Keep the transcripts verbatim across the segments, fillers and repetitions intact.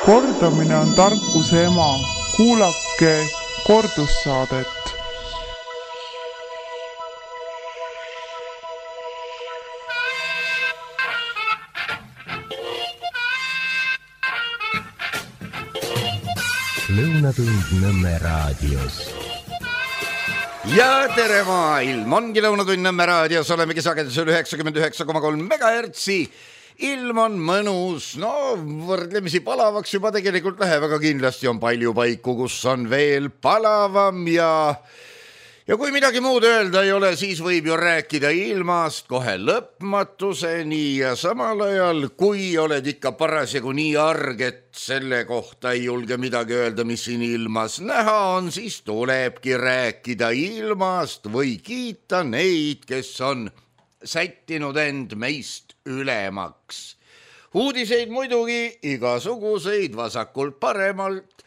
Kordamine on tarkuse ema. Kuulake kordussaadet. Lõunatund Nõmme raadios. Ja tere maailm, ongi Lõunatund Nõmme raadios, olemegi sagedusel üheksakümmend üheksa koma kolm megahertsi. Ilm on mõnus, no võrdlemisi palavaks juba tegelikult läheb, aga kindlasti on palju paiku, kus on veel palavam ja... Ja kui midagi muud öelda ei ole, siis võib ju rääkida ilmast kohe lõpmatuseni ja samal ajal, kui oled ikka parasjagu nii arg, et selle kohta ei julge midagi öelda, mis siin ilmas näha on, siis tulebki rääkida ilmast või kiita neid, kes on sättinud end meist ülemaks. Uudiseid muidugi igasuguseid vasakult paremalt,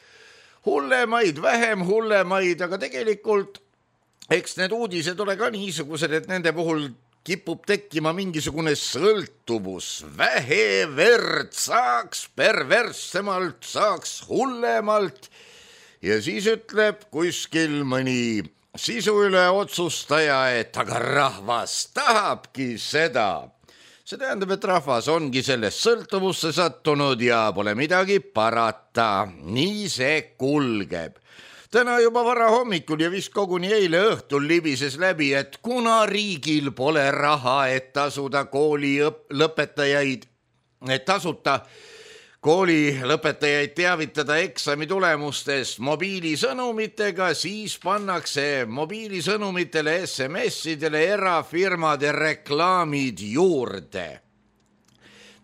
hullemaid, vähem hullemaid, aga tegelikult eks need uudised ole ka niisugused, et nende puhul kipub tekkima mingisugune sõltuvus. Vähe verd, saaks perverssemalt, saaks hullemalt. Ja siis ütleb kuskil mõni sisu üle otsustaja, et aga rahvas tahabki seda. See tähendab, et rahvas ongi sellest sõltuvusse sattunud ja pole midagi parata. Nii see kulgeb. Täna juba vara hommikul ja vist koguni eile õhtul libises läbi, et kuna riigil pole raha, et tasuda kooli lõpetajaid, et tasuta kooli lõpetajaid teavitada eksami tulemustest mobiilisõnumitega, siis pannakse mobiilisõnumitele S M S-idele erafirmade reklaamid juurde.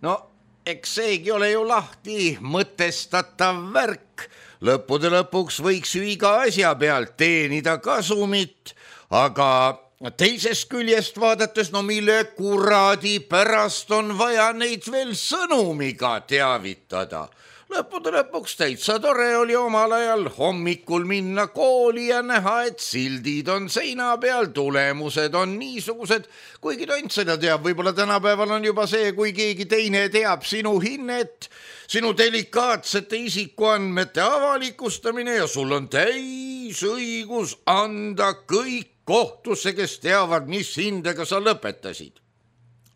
No, eks seegi ole ju lahti mõtestatav värk. Lõppude lõpuks võiks ju iga asja pealt teenida kasumit, aga teisest küljest vaadates, no mille kuradi pärast on vaja neid veel sõnumiga teavitada. Lõppude lõpuks täitsa tore oli omal ajal hommikul minna kooli ja näha, et sildid on seina peal, tulemused on niisugused, kuigi tont seda teab, võib-olla tänapäeval on juba see, kui keegi teine teab sinu hinnet, sinu delikaatsete isikuandmete avalikustamine ja sul on täis õigus anda kõik kohtusse, kes teavad, mis hindega sa lõpetasid.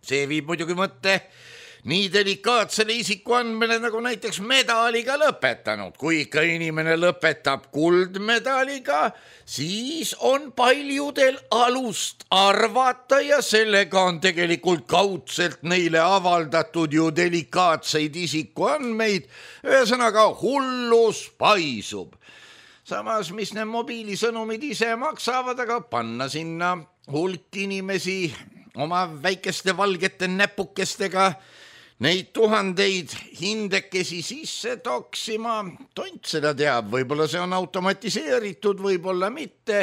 See viib muidugi mõtte nii delikaatsele isikuandmele nagu näiteks medaliga lõpetanud. Kui ikka inimene lõpetab kuldmedaliga, siis on paljudel alust arvata ja sellega on tegelikult kaudselt neile avaldatud ju delikaatseid isikuandmeid. Ühesõnaga hullus paisub. Samas, mis need mobiilisõnumid ise maksavad, aga panna sinna hulk inimesi oma väikeste valgete näpukestega neid tuhandeid hindekesi sisse toksima, tont seda teab, võib-olla see on automatiseeritud, võib-olla mitte.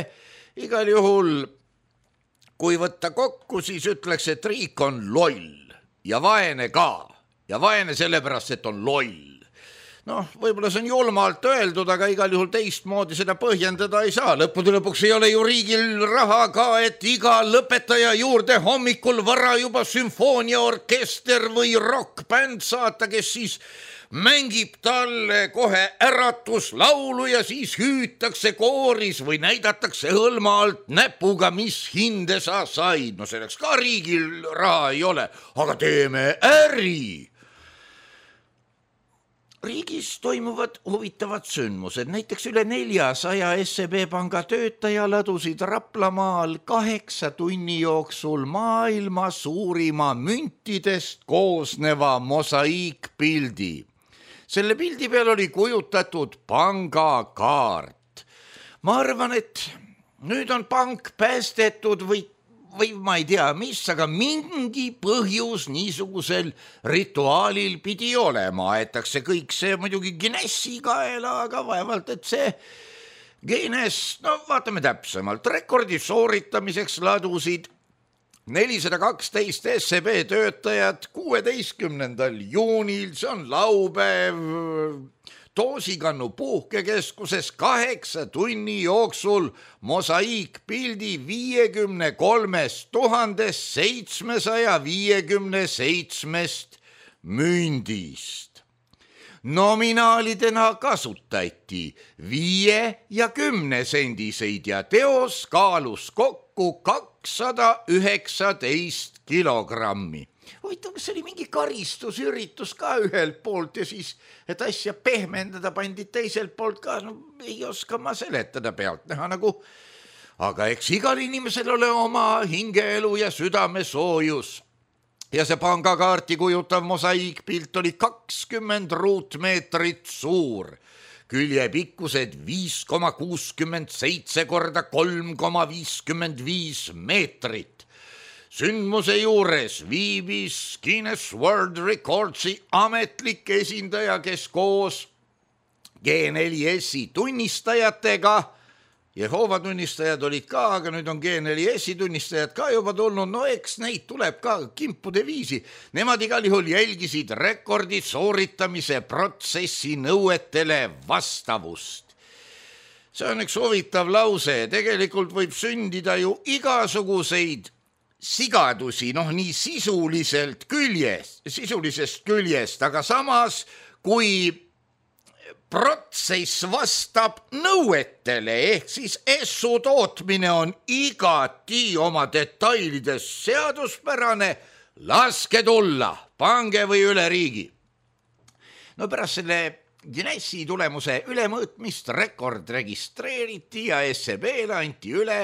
Igal juhul, kui võtta kokku, siis ütleks, et riik on loll ja vaene ka. Ja vaene sellepärast, et on loll. Noh, võib-olla see on julmalt öeldud, aga igal juhul teistmoodi seda põhjendada ei saa. Lõppude lõpuks ei ole ju riigil raha ka, et iga lõpetaja juurde hommikul vara juba sümfooniaorkester või rockbänd saata, kes siis mängib talle kohe äratuslaulu ja siis hüütakse kooris või näidatakse hõlma alt näpuga, mis hinde sa said. No selleks ka riigil raha ei ole, aga teeme äri. Riigis toimuvad huvitavad sündmused, näiteks üle neljasaja S E B panga töötaja ladusid Raplamaal kaheksa tunni jooksul maailma suurima müntidest koosneva mosaiikpildi. Selle pildi peal oli kujutatud pangakaart. Ma arvan, et nüüd on pank päästetud või või ma ei tea mis, aga mingi põhjus niisugusel rituaalil pidi olema. Aetakse kõik see muidugi Guinessi kaela, aga vaevalt, et see Guinness, no vaatame täpsemalt, rekordi sooritamiseks ladusid nelisada kaksteist S E B töötajad kuueteistkümnendal juunil, see on laupäev, Toosikannu puhkekeskuses kaheksa tunni jooksul mosaiikpildi viiekümne kolmest tuhandest seitsmesaja viiekümne seitsmest mündist. Nominaalidena kasutati viie ja kümne sendiseid ja teos kaalus kokku kakssada üheksateist kilogrammi. Huvitav, kas oli mingi karistusüritus ka ühelt poolt ja siis, et asja pehmendada pandi teiselt poolt ka, no ei oska ma seletada pealt näha nagu, aga eks igal inimesel ole oma hingeelu ja südamesoojus. Ja see pangakaarti kujutav mosaiikpilt oli kakskümmend ruutmeetrit suur, küljepikkused viis koma kuuskümmend seitse korda kolm koma viiskümmend viis meetrit. Sündmuse juures viibis Guinness World Recordsi ametlik esindaja, kes koos G neli S-i tunnistajatega, Jehova tunnistajad olid ka, aga nüüd on G neli S-i tunnistajad ka juba tulnud, no eks neid tuleb ka kimpude viisi. Nemad igal juhul jälgisid rekordi sooritamise protsessi nõuetele vastavust. See on üks huvitav lause, tegelikult võib sündida ju igasuguseid sigadusi, noh nii sisuliselt küljest, sisulisest küljest, aga samas kui protsess vastab nõuetele, ehk siis essu tootmine on igati oma detailides seaduspärane, laske tulla, pange või üle riigi. No pärast selle Guinessi tulemuse ülemõõtmist rekord registreeriti ja S E B-le anti üle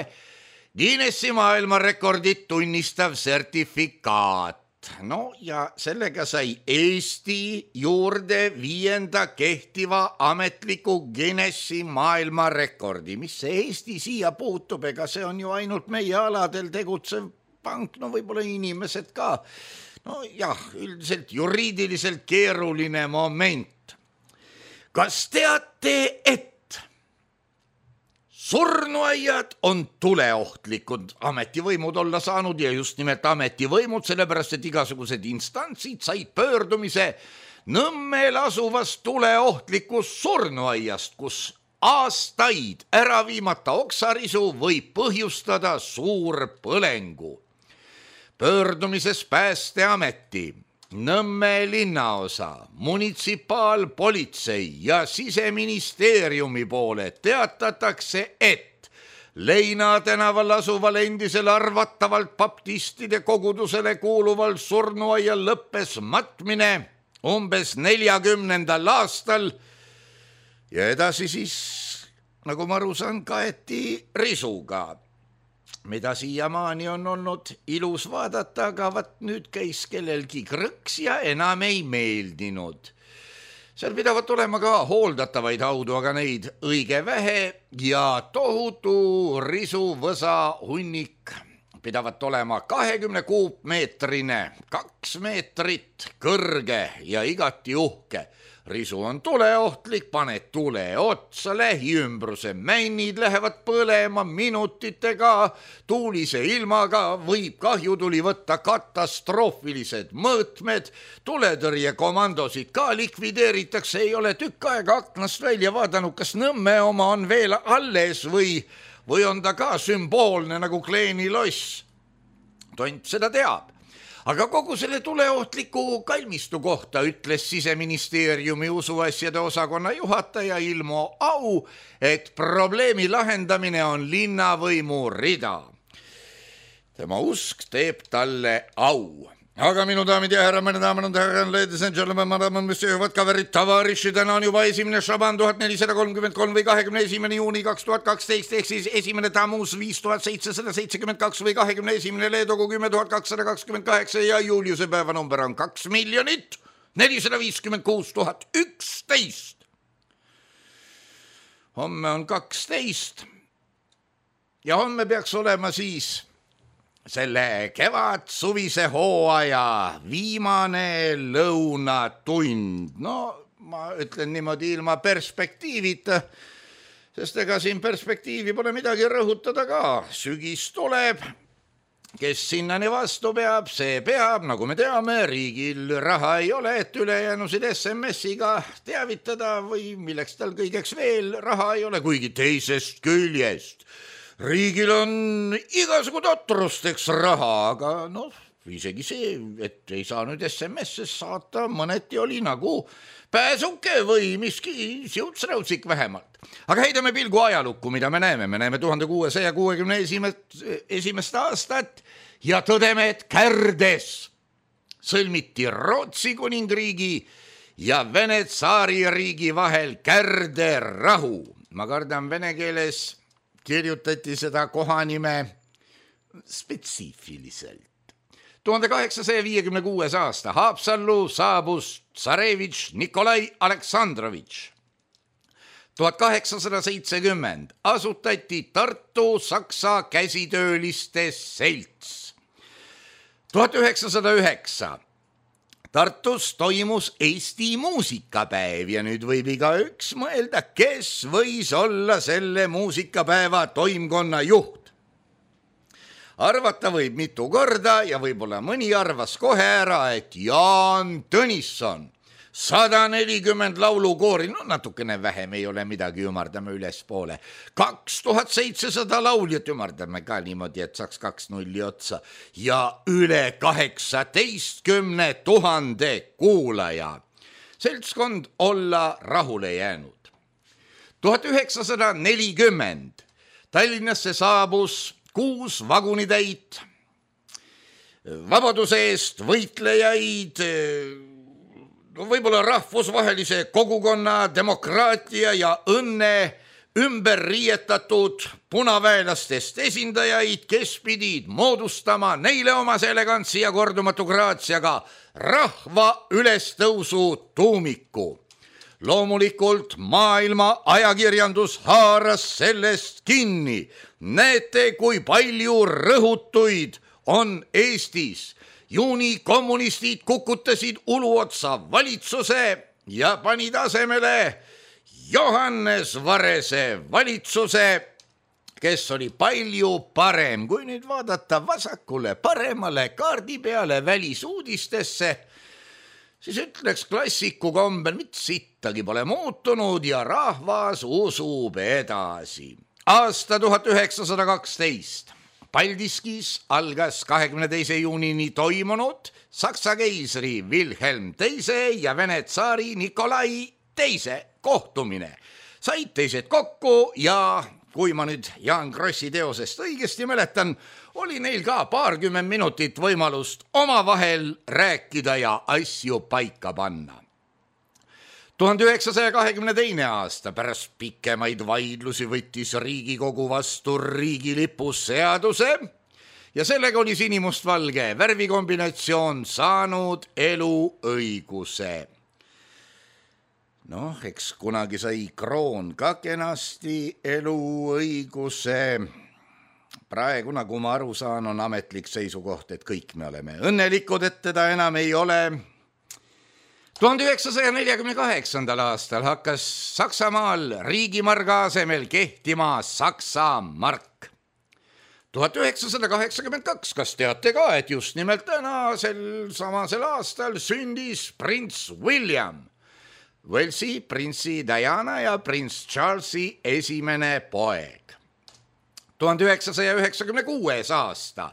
Guinessi maailmarekordit tunnistav sertifikaat. No ja sellega sai Eesti juurde viienda kehtiva ametliku Guinessi maailmarekordi. Mis see Eesti siia puutub, ega see on ju ainult meie aladel tegutsev pank, no võib-olla inimesed ka. No jah, üldiselt juriidiliselt keeruline moment. Kas teate, et surnuaiad on tuleohtlikud ametivõimud olla saanud ja just nimelt ametivõimud, sellepärast et igasugused instantsid said pöördumise Nõmmel asuvast tuleohtlikust surnuaiast, kus aastaid ära viimata oksarisu võib põhjustada suur põlengu. Pöördumises Päästeameti, Nõmme linnaosa, munitsipaalpolitsei ja Siseministeeriumi poole teatatakse, et Leina tänaval asuval endisel arvatavalt baptistide kogudusele kuuluval surnuaial lõppes matmine umbes neljakümnendal aastal ja edasi siis, nagu ma aru saan, kaeti risuga, mida siiamaani on olnud ilus vaadata, aga vat nüüd käis kellelgi krõks ja enam ei meeldinud. Seal pidavat olema ka hooldatavaid haudu, aga neid õige vähe ja tohutu risuvõsa hunnik pidavat olema kahekümne kuupmeetrine, kaks meetrit kõrge ja igati uhke. Risu on tuleohtlik, paned tule otsa, lähiümbruse männid lähevad põlema minutitega, tuulise ilmaga võib kahjutuli võtta katastroofilised mõõtmed, tuletõrjekomandosid ka likvideeritakse, ei ole tükk aega aknast välja vaadanud, kas Nõmme oma on veel alles või, või on ta ka sümboolne nagu Kleeni loss. Tont seda teab. Aga kogu selle tuleohtliku kalmistu kohta ütles Siseministeeriumi usuasjade osakonna juhataja Ilmo Au, et probleemi lahendamine on linnavõimu rida. Tema usk teeb talle au. Aga minu daamid ja härra, meine daamid ja härra, ladies and gentlemen, madame, monsieur, vodka verit tavariši, täna on juba esimene šaban tuhat nelisada kolmkümmend kolm või kahekümne esimene juuni kaks tuhat kaksteist, ehk siis esimene tamus viis tuhat seitsesada seitsekümmend kaks või kahekümne esimene leedogu kümme tuhat kakssada kakskümmend kaheksa ja Juliuse päevanumber on kaks miljonit nelisada viiskümmend kuus tuhat üksteist. Homme on kaksteist ja homme peaks olema siis selle kevad suvise hooaja viimane lõunatund. No ma ütlen niimoodi ilma perspektiivita, sest ega siin perspektiivi pole midagi rõhutada ka. Sügis tuleb, kes sinnani vastu peab, see peab, nagu me teame, riigil raha ei ole, et ülejäänusid S M S-iga teavitada või milleks tal kõigeks veel raha ei ole, kuigi teisest küljest. Riigil on igasugu totrusteks raha, aga noh, isegi see, et ei saa nüüd S M S-es saata, mõneti oli nagu pääsuke või miski siuts-räutsik vähemalt. Aga heidame pilgu ajalukku, mida me näeme. Me näeme tuhande kuuesaja kuuekümne esimest aastat ja tõdeme, et Kärdes sõlmiti Rootsi kuningriigi ja Vene tsaaririigi vahel Kärde rahu. Ma kardan, vene keeles kirjutati seda kohanime spetsiifiliselt. tuhande kaheksasaja viiekümne kuues aasta Haapsallu saabus tsarevitš Nikolai Aleksandrovitš. tuhat kaheksasada seitsekümmend asutati Tartu Saksa käsitööliste selts. tuhat üheksasada üheksa Tartus toimus Eesti muusikapäev ja nüüd võib igaüks mõelda, kes võis olla selle muusikapäeva toimkonna juht. Arvata võib mitu korda ja võib-olla mõni arvas kohe ära, et Jaan Tõnisson, sada nelikümmend laulukoori, no natukene vähem ei ole midagi, ümardame üles poole. kaks tuhat seitsesada lauljat, ümardame ka niimoodi, et saaks kaks nulli otsa ja üle kaheksateistkümne tuhande kuulaja. Seltskond olla rahule jäänud. tuhat üheksasada nelikümmend Tallinnasse saabus kuus vagunitäit, vabaduse eest võitlejaid, võib-olla rahvusvahelise kogukonna, demokraatia ja õnne ümber riietatud punaväelastest esindajaid, kes pidid moodustama neile omase elegantsi ja kordumatu graatsiaga rahva ülestõusu tuumiku. Loomulikult maailma ajakirjandus haaras sellest kinni. Näete, kui palju rõhutuid on Eestis. Juuni kommunistid kukutasid uluotsa valitsuse ja panid asemele Johannes Varese valitsuse, kes oli palju parem. Kui nüüd vaadata vasakule paremale kaardi peale välisuudistesse, siis ütleks klassiku kombel, mitte sittagi pole muutunud ja rahvas usub edasi. Aasta tuhat üheksasada kaksteist. Paldiskis algas kahekümne teise juunini toimunud Saksa keisri Wilhelm teise ja Vene tsaari Nikolai teise kohtumine. Said teised kokku ja kui ma nüüd Jaan Krossi teosest õigesti mäletan, oli neil ka paarkümmend minutit võimalust omavahel rääkida ja asju paika panna. tuhande üheksasaja kahekümne teine aasta pärast pikemaid vaidlusi võttis Riigikogu vastu riigilipu seaduse ja sellega oli sinimustvalge värvikombinatsioon saanud eluõiguse. Noh, eks kunagi sai kroon ka kenasti eluõiguse. Praegu, nagu ma aru saan, on ametlik seisukoht, et kõik me oleme õnnelikud, et teda enam ei ole. tuhande üheksasaja neljakümne kaheksandal aastal hakkas Saksamaal riigimarga asemel kehtima Saksa mark. tuhat üheksasada kaheksakümmend kaks, kas teate ka, et just nimelt täna sel samasel aastal sündis prints William, Walesi printsi Diana ja prints Charlesi esimene poeg. tuhande üheksasaja üheksakümne kuues aasta.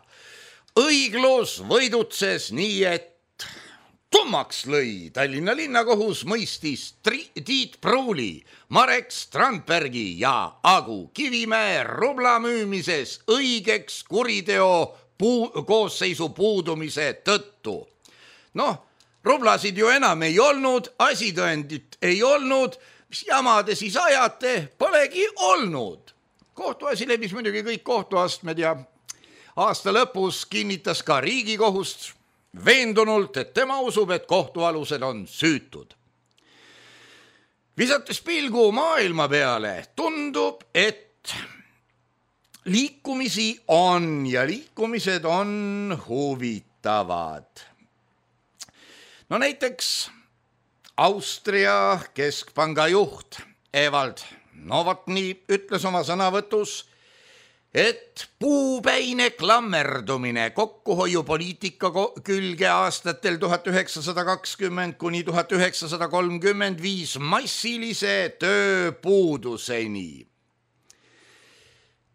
Õiglus võidutses nii, et tummaks lõi. Tallinna linnakohus mõistis Tiit Pruuli, Marek Strandbergi ja Agu Kivimäe rubla müümises õigeks kuriteo puu, koosseisu puudumise tõttu. Noh, rublasid ju enam ei olnud, asitõendit ei olnud, mis jama te siis ajate, polegi olnud. Kohtuasi läbis muidugi kõik kohtuastmed ja aasta lõpus kinnitas ka Riigikohust veendunult, et tema usub, et kohtualused on süütud. Visates pilgu maailma peale, tundub, et liikumisi on ja liikumised on huvitavad. No näiteks Austria keskpanga juht Ewald Novotny ütles oma sõnavõtus, et puupäine klammerdumine kokkuhoiupoliitika külge aastatel tuhat üheksasada kakskümmend kuni tuhat üheksasada kolmkümmend viis massilise tööpuuduseni.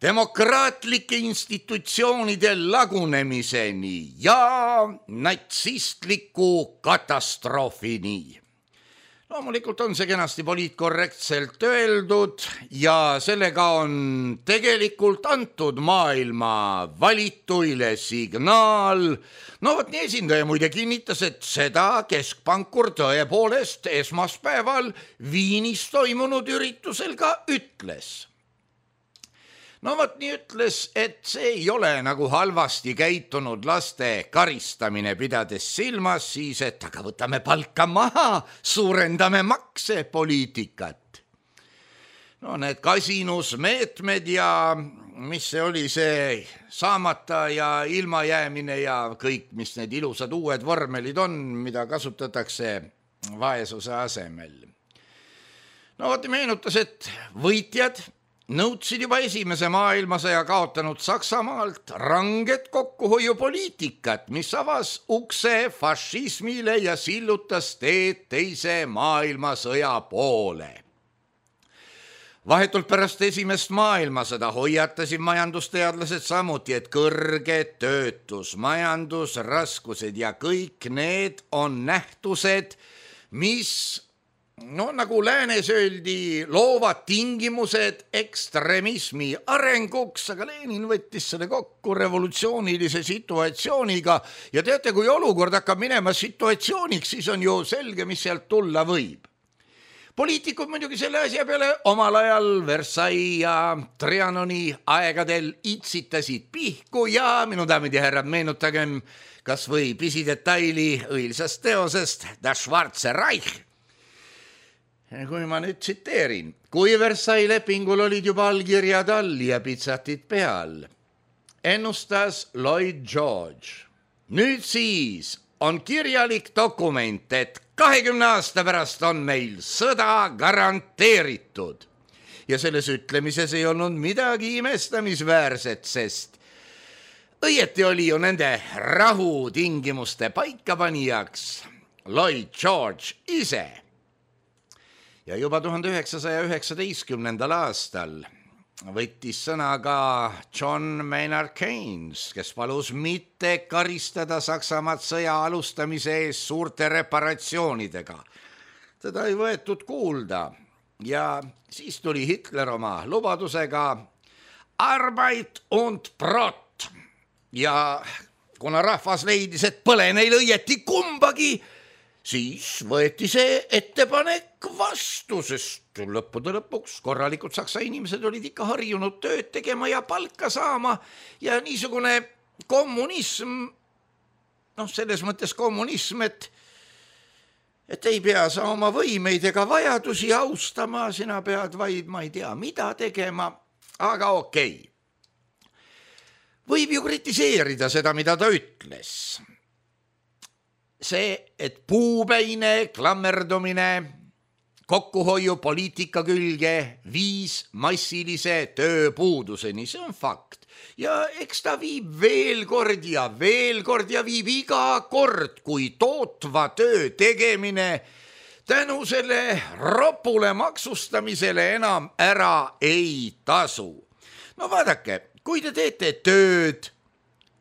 demokraatlike institutsioonide lagunemiseni ja natsistliku katastroofini. Loomulikult on see kenasti poliitkorrektselt öeldud ja sellega on tegelikult antud maailma valituile signaal. No võt nii esindaja muide kinnitas, et seda keskpankur tõepoolest esmaspäeval Viinis toimunud üritusel ka ütles. No võt nii ütles, et see ei ole nagu halvasti käitunud laste karistamine, pidades silmas siis, et aga võtame palka maha, suurendame makse poliitikat. No need kasinusmeetmed ja mis see oli see saamata ja ilmajäämine ja kõik, mis need ilusad uued vormelid on, mida kasutatakse vaesuse asemel. No võt meenutas, et võitjad nõudsid juba esimese maailmasõja kaotanud Saksamaalt ranget kokkuhoiupoliitikat, mis avas ukse fašismile ja sillutas teed teise maailmasõja poole. Vahetult pärast esimest maailmasõda hoiatasid majandusteadlased samuti, et kõrge töötus, majandusraskused ja kõik need on nähtused, mis no nagu läänes öeldi, loovad tingimused ekstremismi arenguks, aga Lenin võttis selle kokku revolutsioonilise situatsiooniga ja teate, kui olukord hakkab minema situatsiooniks, siis on ju selge, mis sealt tulla võib. Poliitikud muidugi selle asja peale omal ajal Versailles ja Trianoni aegadel itsitasid pihku ja minu daamid ja härrad, meenutagem kas või pisidetaili õilsast teosest Das Schwarze Reich. Kui ma nüüd tsiteerin, kui Versailles lepingul olid juba allkirjad all ja pitsatid peal, ennustas Lloyd George. Nüüd siis on kirjalik dokument, et kahekümne aasta pärast on meil sõda garanteeritud. Ja selles ütlemises ei olnud midagi imestamisväärset, sest õieti oli ju nende rahutingimuste paikapanijaks Lloyd George ise. Ja juba tuhande üheksasaja üheksateistkümnendal aastal võttis sõna ka John Maynard Keynes, kes palus mitte karistada Saksamaad sõja alustamise ees suurte reparatsioonidega. Teda ei võetud kuulda ja siis tuli Hitler oma lubadusega Arbeit und Brot ja kuna rahvas leidis, et põle neil õieti kumbagi, siis võeti see ettepanek vastu, sest lõppude lõpuks korralikud saksa inimesed olid ikka harjunud tööd tegema ja palka saama ja niisugune kommunism, noh selles mõttes kommunism, et, et ei pea sa oma võimeid ega vajadusi austama, sina pead vaid, ma ei tea, mida tegema, aga okei. Võib ju kritiseerida seda, mida ta ütles. See, et puupäine klammerdumine kokkuhoiupoliitika külge viis massilise tööpuuduseni, see on fakt. Ja eks ta viib veel kord ja veel kord ja viib iga kord, kui tootva töö tegemine tänu selle ropule maksustamisele enam ära ei tasu. No vaadake, kui te teete tööd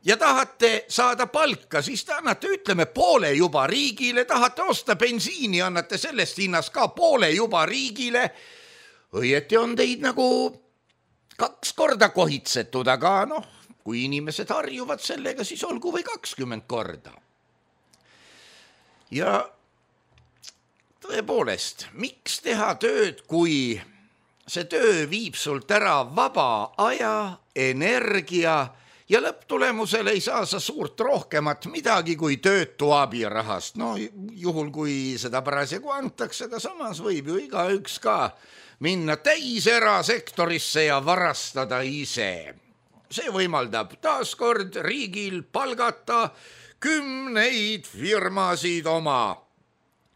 ja tahate saada palka, siis te annate, ütleme, poole juba riigile, tahate osta bensiini, annate sellest hinnast ka poole juba riigile. Õieti on teid nagu kaks korda kohitsetud, aga noh, kui inimesed harjuvad sellega, siis olgu või kakskümmend korda. Ja tõepoolest, miks teha tööd, kui see töö viib sult ära vaba aja, energia ja lõpptulemusel ei saa sa suurt rohkemat midagi kui töötu abirahast. No juhul, kui seda parasjagu antakse, aga samas võib ju igaüks ka minna täis erasektorisse ja varastada ise. See võimaldab taaskord riigil palgata kümneid firmasid oma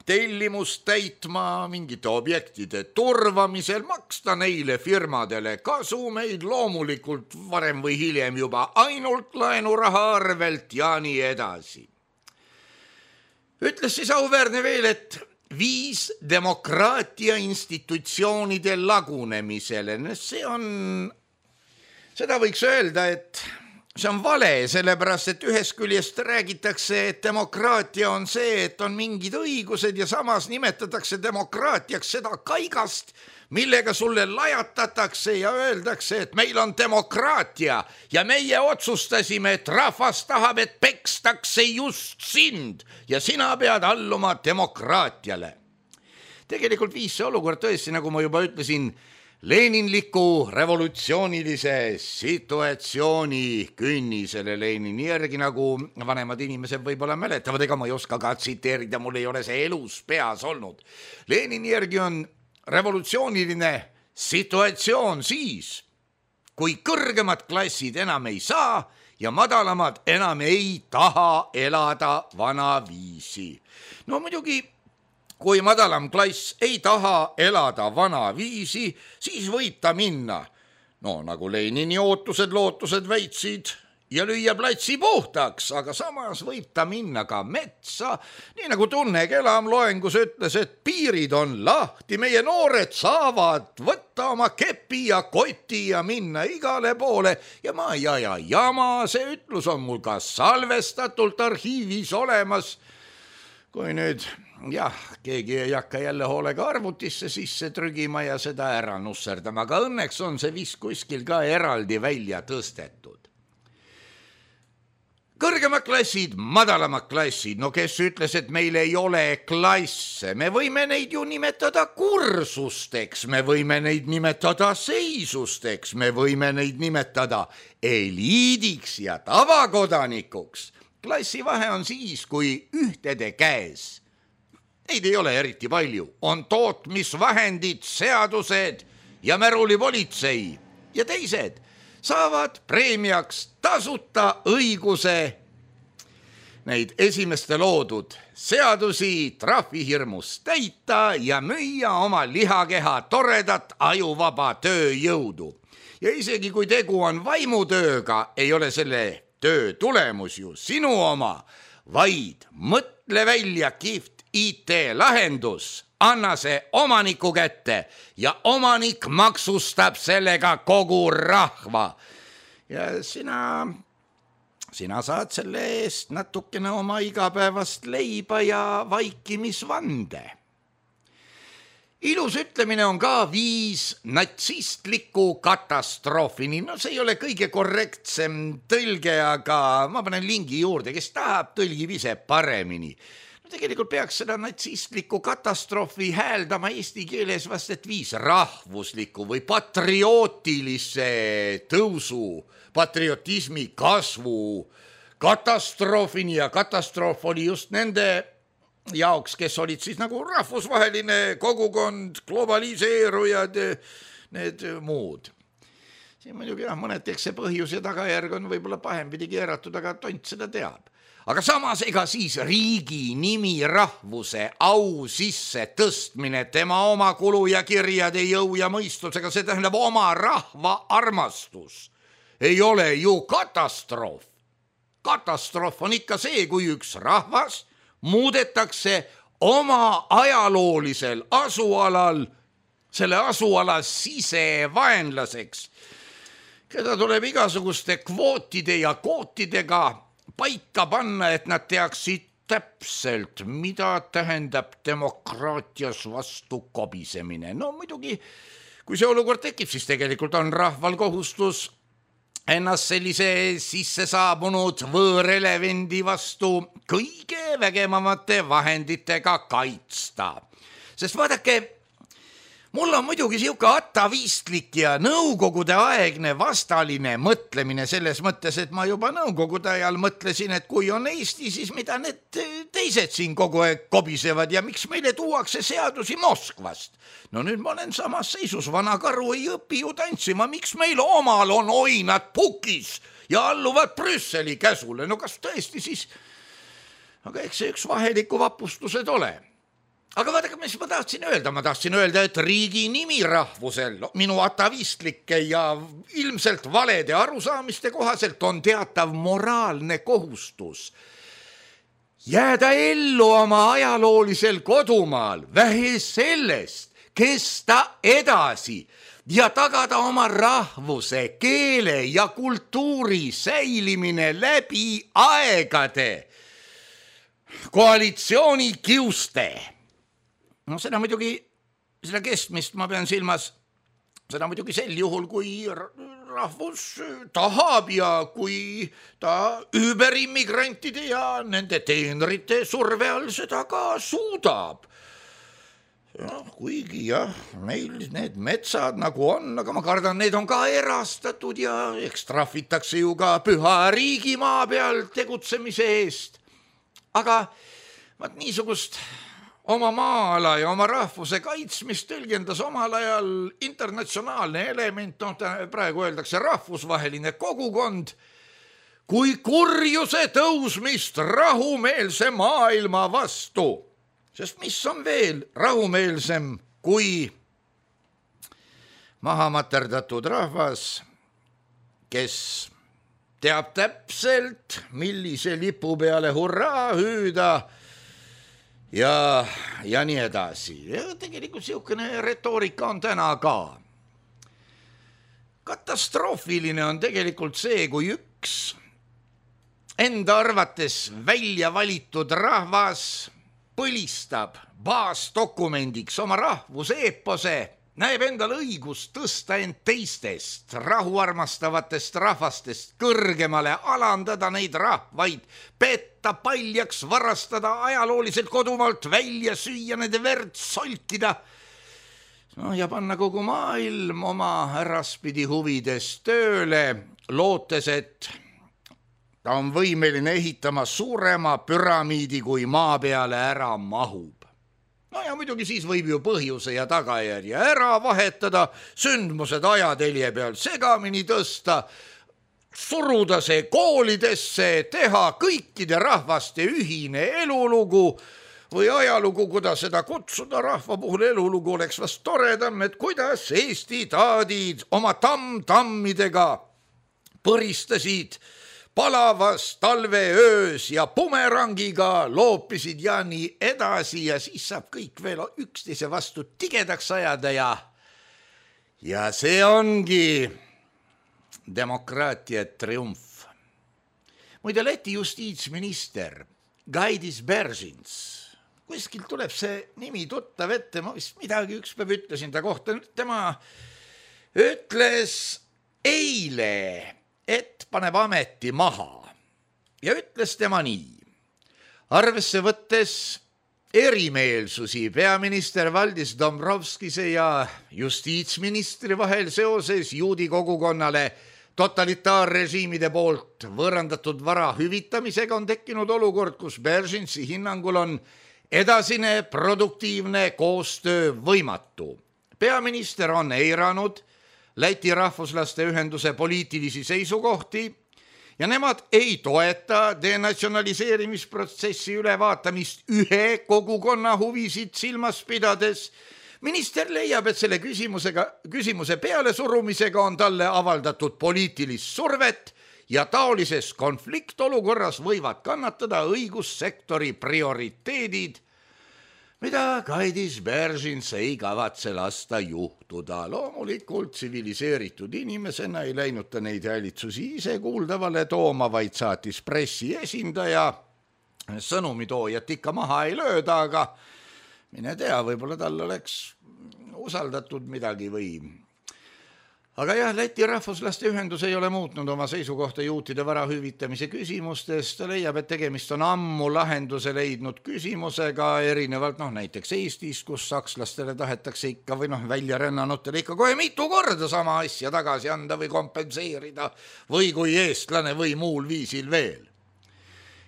tellimust täitma, mingite objektide turvamisel, maksta neile firmadele kasumeid, loomulikult varem või hiljem juba ainult laenuraha arvelt ja nii edasi. Ütles siis auväärne veel, et viis demokraatia institutsioonide lagunemisele. See on Seda võiks öelda, et see on vale, sellepärast, et ühest küljest räägitakse, et demokraatia on see, et on mingid õigused ja samas nimetatakse demokraatiaks seda kaigast, millega sulle lajatatakse ja öeldakse, et meil on demokraatia ja meie otsustasime, et rahvas tahab, et pekstakse just sind ja sina pead alluma demokraatiale. Tegelikult viis see olukord tõesti, nagu ma juba ütlesin, Leninliku revolutsioonilise situatsiooni künnisele Lenini järgi, nagu vanemad inimesed võib-olla mäletavad, ega ma ei oska ka tsiteerida, mul ei ole see elus peas olnud. Lenini järgi on revolutsiooniline situatsioon siis, kui kõrgemad klassid enam ei saa ja madalamad enam ei taha elada vanaviisi. No muidugi, kui madalam klass ei taha elada vanaviisi, siis võib ta minna, no nagu Lenini ootused, lootused väitsid, ja lüüa platsi puhtaks, aga samas võib ta minna ka metsa, nii nagu Tunne Kelam loengus ütles, et piirid on lahti, meie noored saavad võtta oma kepi ja koti ja minna igale poole ja ma ei aja jama, see ütlus on mul ka salvestatult arhiivis olemas. Kui nüüd, jah, keegi ei hakka jälle hoolega arvutisse sisse trügima ja seda ära nusserdama, aga õnneks on see vist kuskil ka eraldi välja tõstetud. Kõrgemad klassid, madalamad klassid, no kes ütles, et meil ei ole klasse, me võime neid ju nimetada kursusteks, me võime neid nimetada seisusteks, me võime neid nimetada eliidiks ja tavakodanikuks. Klassi vahe on siis, kui ühtede käes, neid ei ole eriti palju, on tootmisvahendid, seadused ja märulipolitsei ja teised saavad preemiaks tasuta õiguse neid esimeste loodud seadusi trahvihirmus täita ja müüa oma lihakeha toredat ajuvaba tööjõudu. Ja isegi kui tegu on vaimutööga, ei ole selle töö tulemus ju sinu oma, vaid mõtle välja kihvt I T-lahendus, anna see omaniku kätte ja omanik maksustab sellega kogu rahva. Ja sina, sina saad selle eest natukene oma igapäevast leiba ja vaikimisvande. Ilus ütlemine on ka viis natsistliku katastroofini. No see ei ole kõige korrektsem tõlge, aga ma panen lingi juurde, kes tahab, tõlgib ise paremini. No tegelikult peaks seda natsistliku katastroofi hääldama eesti keeles vast, et viis rahvusliku või patriootilise tõusu, patriotismi kasvu katastroofini ja katastroof oli just nende jaoks, kes olid siis nagu rahvusvaheline kogukond, globaliseerujad, need muud. Siin muidugi jah, mõned eks see põhjus ja tagajärg on võib-olla pahempidi keeratud, aga tont seda teab. Aga samas ega siis riigi nimi rahvuse au sisse tõstmine, tema oma kulu ja kirjade jõu ja mõistusega, see tähendab oma rahva armastus, ei ole ju katastroof. Katastroof on ikka see, kui üks rahvas muudetakse oma ajaloolisel asualal, selle asuala sisevaenlaseks, keda tuleb igasuguste kvootide ja kootidega paika panna, et nad teaksid täpselt, mida tähendab demokraatias vastu kobisemine. No muidugi, kui see olukord tekib, siis tegelikult on rahval kohustus ennast sellise sisse saabunud võõrelevendi vastu kõige vägevamate vahenditega kaitsta. Sest vaadake, mul on muidugi siuke atavistlik ja nõukogude aegne vastaline mõtlemine selles mõttes, et ma juba nõukogude ajal mõtlesin, et kui on Eesti, siis mida need teised siin kogu aeg kobisevad ja miks meile tuuakse seadusi Moskvast. No nüüd ma olen samas seisus, vana karu ei õpi ju tantsima, miks meil omal on oinad pukis ja alluvad Brüsseli käsule. No kas tõesti siis, aga eks see üks vaheliku vapustused ole. Aga vaadake, mis ma tahtsin öelda, ma tahtsin öelda, et riigi nimi rahvusel minu atavistlike ja ilmselt valede arusaamiste kohaselt on teatav moraalne kohustus jääda ellu oma ajaloolisel kodumaal, vähe sellest, kesta edasi, ja tagada oma rahvuse, keele ja kultuuri säilimine läbi aegade koalitsiooni kiuste. No seda muidugi, seda kestmist ma pean silmas, seda muidugi sel juhul, kui rahvus tahab ja kui ta üüberimmigrantide ja nende teenrite surve all seda ka suudab. No, kuigi jah, meil need metsad nagu on, aga ma kardan, need on ka erastatud ja eks trahvitakse ju ka püha riigimaa peal tegutsemise eest. Aga vaat niisugust oma maala ja oma rahvuse kaitsmist tõlgendas omal ajal internatsionaalne element, no praegu öeldakse rahvusvaheline kogukond, kui kurjuse tõusmist rahumeelse maailma vastu. Sest mis on veel rahumeelsem kui maha materdatud rahvas, kes teab täpselt, millise lipu peale hurraa hüüda ja, ja nii edasi. Ja tegelikult siukene retoorika on täna ka. Katastroofiline on tegelikult see, kui üks enda arvates välja valitud rahvas põlistab baasdokumendiks oma rahvuse eepose, näeb endal õigust tõsta end teistest rahuarmastavatest rahvastest kõrgemale, alandada neid rahvaid, petta paljaks, varastada ajalooliselt kodumaalt välja, süüa nende verd, solkida. No ja panna kogu maailm oma äraspidi huvides tööle, lootes, et ta on võimeline ehitama suurema püramiidi, kui maa peale ära mahub. No ja muidugi siis võib ju põhjuse ja tagajärje ära vahetada, sündmused ajatelje peal segamini tõsta, suruda see koolidesse, teha kõikide rahvaste ühine elulugu või ajalugu, kuidas seda kutsuda. Rahva puhul elulugu oleks vast toredam, et kuidas Eesti taadid oma tamm-tammidega põristasid palavas talveöös ja bumerangiga loopisid ja nii edasi ja siis saab kõik veel üksteise vastu tigedaks ajada ja ja see ongi demokraatia triumf. Muide, Läti justiitsminister Gaidis Beržins, kuskilt tuleb see nimi tuttav ette, ma vist midagi ükspäev ütlesin ta kohta, tema ütles eile, et paneb ameti maha ja ütles tema nii. Arvesse võttes erimeelsusi peaminister Valdis Dombrovskise ja justiitsministri vahel seoses juudi kogukonnale totalitaarrežiimide poolt võõrandatud vara hüvitamisega on tekkinud olukord, kus Beržinsi hinnangul on edasine produktiivne koostöö võimatu. Peaminister on eiranud Läti rahvuslaste ühenduse poliitilisi seisukohti ja nemad ei toeta denatsionaliseerimisprotsessi ülevaatamist ühe kogukonna huvisid silmas pidades. Minister leiab, et selle küsimusega, küsimuse pealesurumisega on talle avaldatud poliitilist survet ja taolises konfliktolukorras võivad kannatada õigussektori prioriteedid, mida Gaidis Beržins ei kavatse lasta juhtuda. Loomulikult tsiviliseeritud inimesena ei läinud ta neid häälitsusi ise kuuldavale tooma, vaid saatis pressi esindaja. Sõnumitoojat ikka maha ei lööda, aga mine tea, võib-olla tal oleks usaldatud midagi või. Aga jah, Läti rahvuslaste ühendus ei ole muutnud oma seisukohta juutide vara hüvitamise küsimustes. Ta leiab, et tegemist on ammu lahenduse leidnud küsimusega, erinevalt noh, näiteks Eestis, kus sakslastele tahetakse ikka või noh, välja rännanutele ikka kohe mitu korda sama asja tagasi anda või kompenseerida või kui eestlane või muul viisil veel.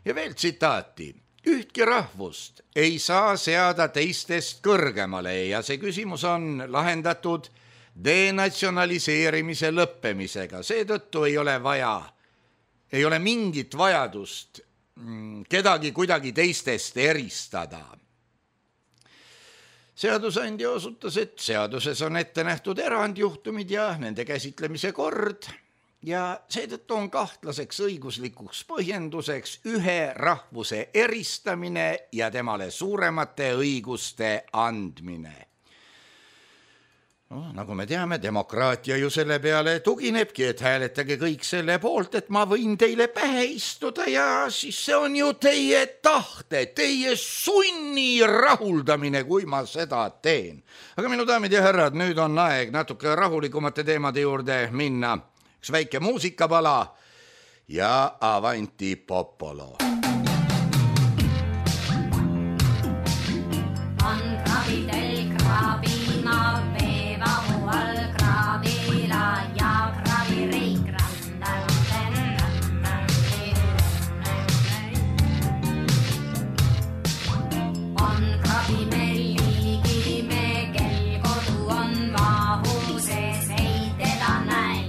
Ja veel tsitaati. Ühtki rahvust ei saa seada teistest kõrgemale ja see küsimus on lahendatud denatsionaliseerimise lõppemisega. Seetõttu ei ole vaja, ei ole mingit vajadust kedagi kuidagi teistest eristada. Seadusandja osutas, et seaduses on ette nähtud erandjuhtumid ja nende käsitlemise kord ja seetõttu on kahtlaseks õiguslikuks põhjenduseks ühe rahvuse eristamine ja temale suuremate õiguste andmine. No, nagu me teame, demokraatia ju selle peale tuginebki, et hääletage kõik selle poolt, et ma võin teile pähe istuda ja siis see on ju teie tahte, teie sunni rahuldamine, kui ma seda teen. Aga minu daamid ja härrad, nüüd on aeg natuke rahulikumate teemade juurde minna. Üks väike muusikapala ja Avanti Popolo. On kravidel krabina veevahu all krabila ja kravireik randal. On krabimeligi me, kel kodu on vahu sees, ei teda näe.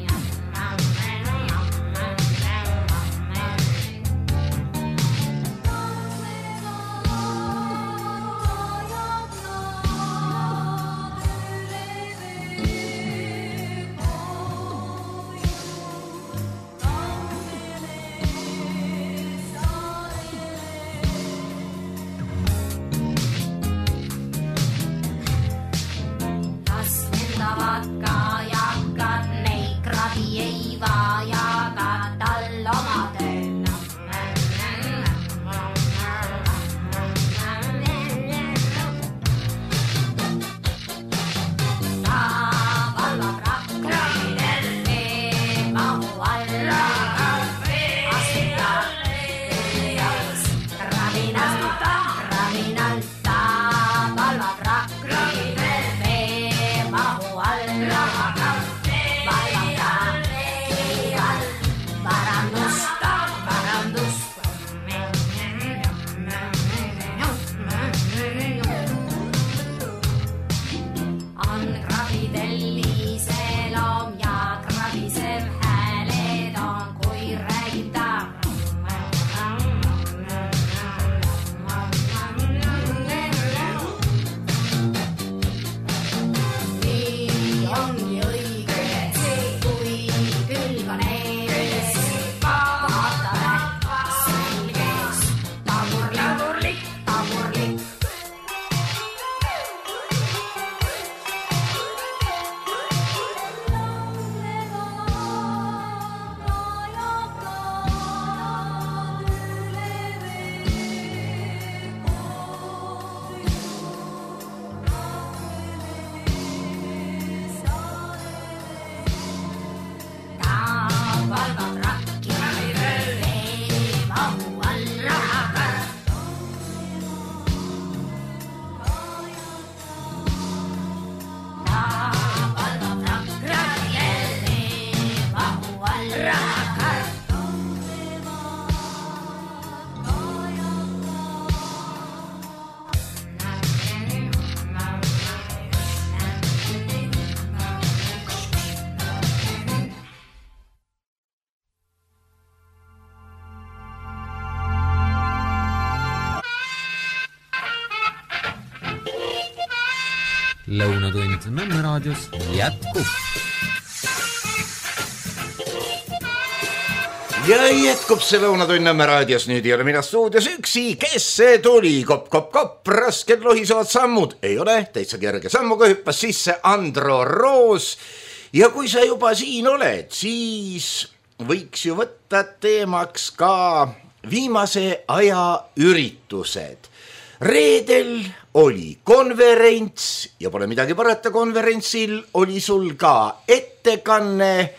Lõunatund Nõmme raadios jätkub. Ja jätkub see Lõunatund Nõmme raadios, nüüd ei ole mina stuudios üksi, kes see tuli, kopp, kopp, kopp, rasked lohisevad sammud, ei ole, täitsa kerge sammuga hüppas sisse Andro Roos ja kui sa juba siin oled, siis võiks ju võtta teemaks ka viimase aja üritused. Reedel oli konverents ja pole midagi parata, konverentsil oli sul ka ettekanne.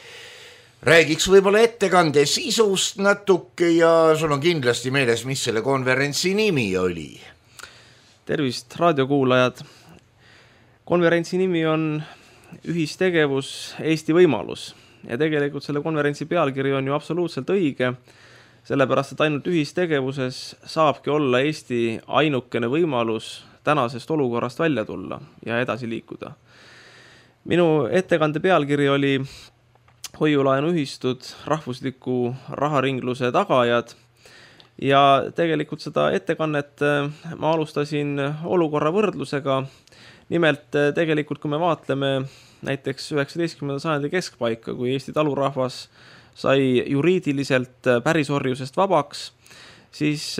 Räägiks võib-olla ettekande sisust natuke ja sul on kindlasti meeles, mis selle konverentsi nimi oli. Tervist, raadiokuulajad. Konverentsi nimi on ühistegevus Eesti võimalus ja tegelikult selle konverentsi pealkiri on ju absoluutselt õige. Sellepärast, et ainult ühistegevuses saabki olla Eesti ainukene võimalus tänasest olukorrast välja tulla ja edasi liikuda. Minu ettekande pealkiri oli hoiulaenuühistud, rahvusliku raharingluse tagajad ja tegelikult seda ettekannet ma alustasin olukorra võrdlusega. Nimelt tegelikult, kui me vaatleme näiteks üheksateistkümnenda sajandi keskpaika, kui Eesti talurahvas sai juriidiliselt pärisorjusest vabaks, siis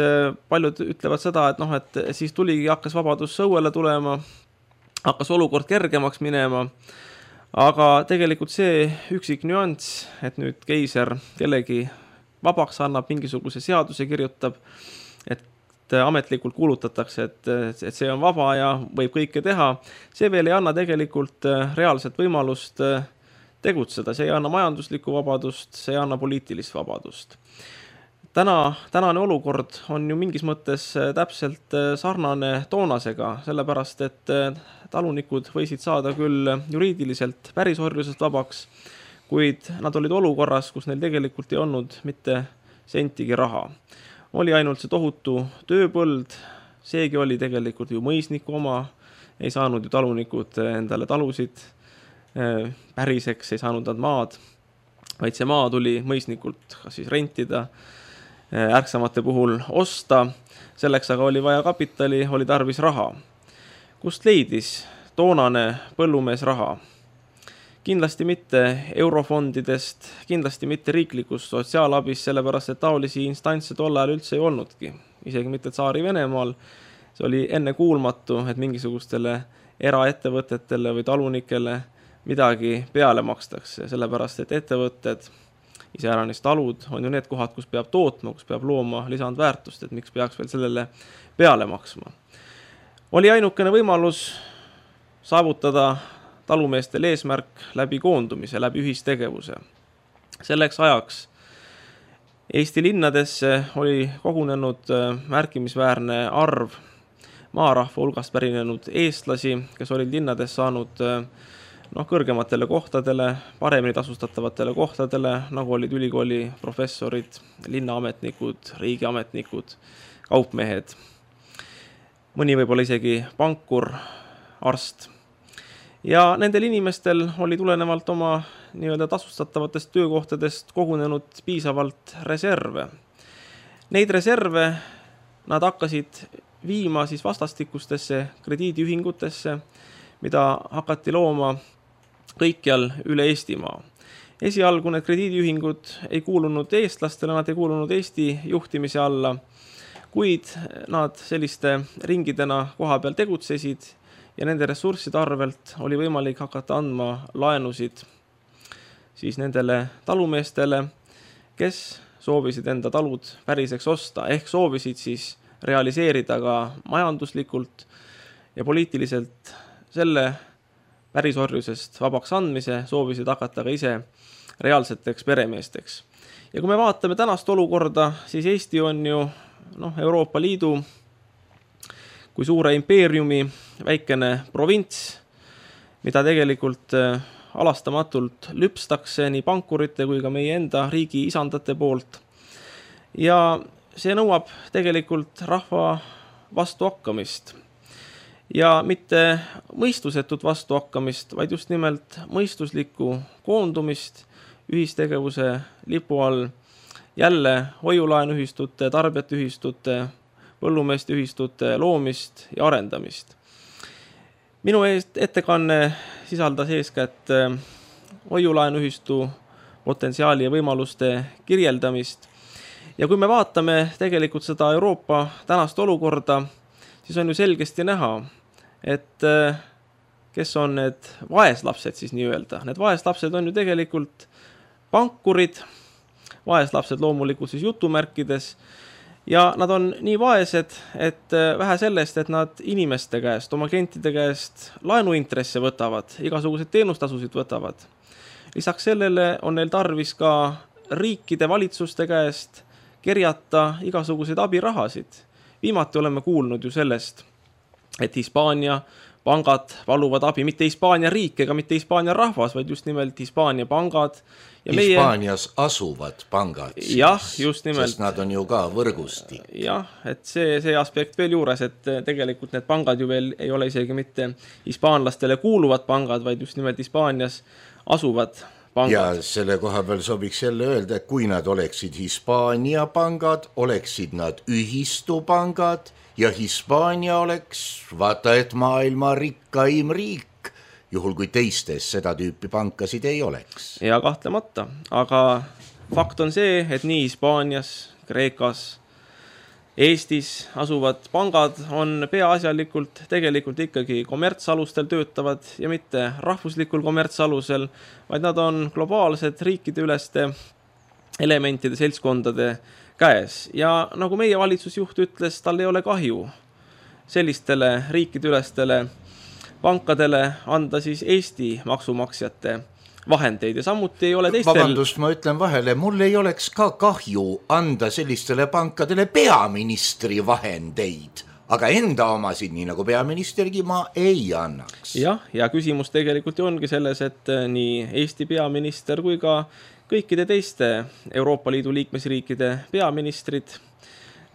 paljud ütlevad seda, et, noh, et siis tuligi, hakkas vabadus õuele tulema, hakkas olukord kergemaks minema, aga tegelikult see üksik nüanss, et nüüd keiser kellegi vabaks annab, mingisuguse seaduse kirjutab, et ametlikult kuulutatakse, et, et see on vaba ja võib kõike teha, see veel ei anna tegelikult reaalset võimalust tegutseda, see ei anna majanduslikku vabadust, see ei anna poliitilist vabadust. Täna, tänane olukord on ju mingis mõttes täpselt sarnane toonasega, sellepärast et talunikud võisid saada küll juriidiliselt pärisorjusest vabaks, kuid nad olid olukorras, kus neil tegelikult ei olnud mitte sentigi raha. Oli ainult see tohutu tööpõld, seegi oli tegelikult ju mõisniku oma, ei saanud ju talunikud endale talusid päriseks, ei saanud nad maad, vaid see maa tuli mõisnikult kas siis rentida, ärksamate puhul osta, selleks aga oli vaja kapitali, oli tarvis raha. Kust leidis toonane põllumees raha? Kindlasti mitte eurofondidest, kindlasti mitte riiklikust sotsiaalabist, sellepärast et taolisi instantse tol ajal üldse ei olnudki. Isegi mitte Tsaari Venemaal, see oli enne kuulmatu, et mingisugustele eraettevõtetele või talunikele midagi peale makstakse, sellepärast et ettevõtted, iseäranis talud, on ju need kohad, kus peab tootma, kus peab looma lisandväärtust, et miks peaks veel sellele peale maksma. Oli ainukene võimalus saavutada talumeestel eesmärk läbi koondumise, läbi ühistegevuse. Selleks ajaks Eesti linnadesse oli kogunenud märkimisväärne arv maarahva hulgast pärinenud eestlasi, kes olid linnades saanud noh, kõrgematele kohtadele, paremini tasustatavatele kohtadele, nagu olid ülikooli professorid, linnaametnikud, riigiametnikud, kaupmehed, mõni võib-olla isegi pankur, arst. Ja nendel inimestel oli tulenevalt oma nii-öelda tasustatavatest töökohtadest kogunenud piisavalt reserve. Neid reserve nad hakkasid viima siis vastastikustesse krediidiühingutesse, mida hakati looma kõikjal üle Eestimaa. Esialgu need krediidiühingud ei kuulunud eestlastele, nad ei kuulunud Eesti juhtimise alla, kuid nad selliste ringidena koha peal tegutsesid ja nende ressursside arvelt oli võimalik hakata andma laenusid siis nendele talumeestele, kes soovisid enda talud päriseks osta, ehk soovisid siis realiseerida ka majanduslikult ja poliitiliselt selle pärisorjusest vabaks andmise, soovisid hakata ka ise reaalseteks peremeesteks. Ja kui me vaatame tänast olukorda, siis Eesti on ju noh, Euroopa Liidu kui suure impeeriumi väikene provints, mida tegelikult alastamatult lüpstakse nii pankurite kui ka meie enda riigi isandate poolt. Ja see nõuab tegelikult rahva vastuhakkamist. Ja mitte mõistusetut vastuhakkamist, vaid just nimelt mõistuslikku koondumist ühistegevuse lipu all, jälle hoiulaenuühistute, tarbijatühistute, põllumeeste ühistute loomist ja arendamist. Minu ettekanne sisaldas eeskätt hoiulaenuühistu potentsiaali ja võimaluste kirjeldamist. Ja kui me vaatame tegelikult seda Euroopa tänast olukorda, siis on ju selgesti näha, et kes on need vaeslapsed siis nii-öelda. Need vaeslapsed on ju tegelikult pankurid, vaeslapsed loomulikult siis jutumärkides, ja nad on nii vaesed, et vähe sellest, et nad inimeste käest, oma klientide käest laenuintresse võtavad, igasuguseid teenustasusid võtavad. Lisaks sellele on neil tarvis ka riikide valitsuste käest kerjata igasuguseid abirahasid. Viimati oleme kuulnud ju sellest, et Hispaania pangad valuvad abi, mitte Hispaania riik ega mitte Hispaania rahvas, vaid just nimelt Hispaania pangad. Ja Hispaanias meie... asuvad pangad, siis, jah, just nimelt. Sest nad on ju ka võrgustik. Jah, et see, see aspekt veel juures, et tegelikult need pangad ju veel ei ole isegi mitte hispaanlastele kuuluvad pangad, vaid just nimelt Hispaanias asuvad pangad. Ja selle koha peal sobiks jälle öelda, et kui nad oleksid Hispaania pangad, oleksid nad ühistupangad ja Hispaania oleks, vaata et maailma rikkaim riik, juhul kui teistes seda tüüpi pankasid ei oleks. Ja kahtlemata, aga fakt on see, et nii Hispaanias, Kreekas, Eestis asuvad pangad on peaasjalikult tegelikult ikkagi kommertsalustel töötavad ja mitte rahvuslikul kommertsalusel, vaid nad on globaalsed riikideüleste elementide seltskondade käes. Ja nagu meie valitsusjuht ütles, tal ei ole kahju sellistele riikideülestele pankadele anda siis Eesti maksumaksjate vahendeid ja samuti ei ole teistel... Vabandust, ma ütlen vahele, mul ei oleks ka kahju anda sellistele pankadele peaministri vahendeid, aga enda omasid, nii nagu peaministergi, ma ei annaks. Jah, ja küsimus tegelikult ju ongi selles, et nii Eesti peaminister kui ka kõikide teiste Euroopa Liidu liikmesriikide peaministrid,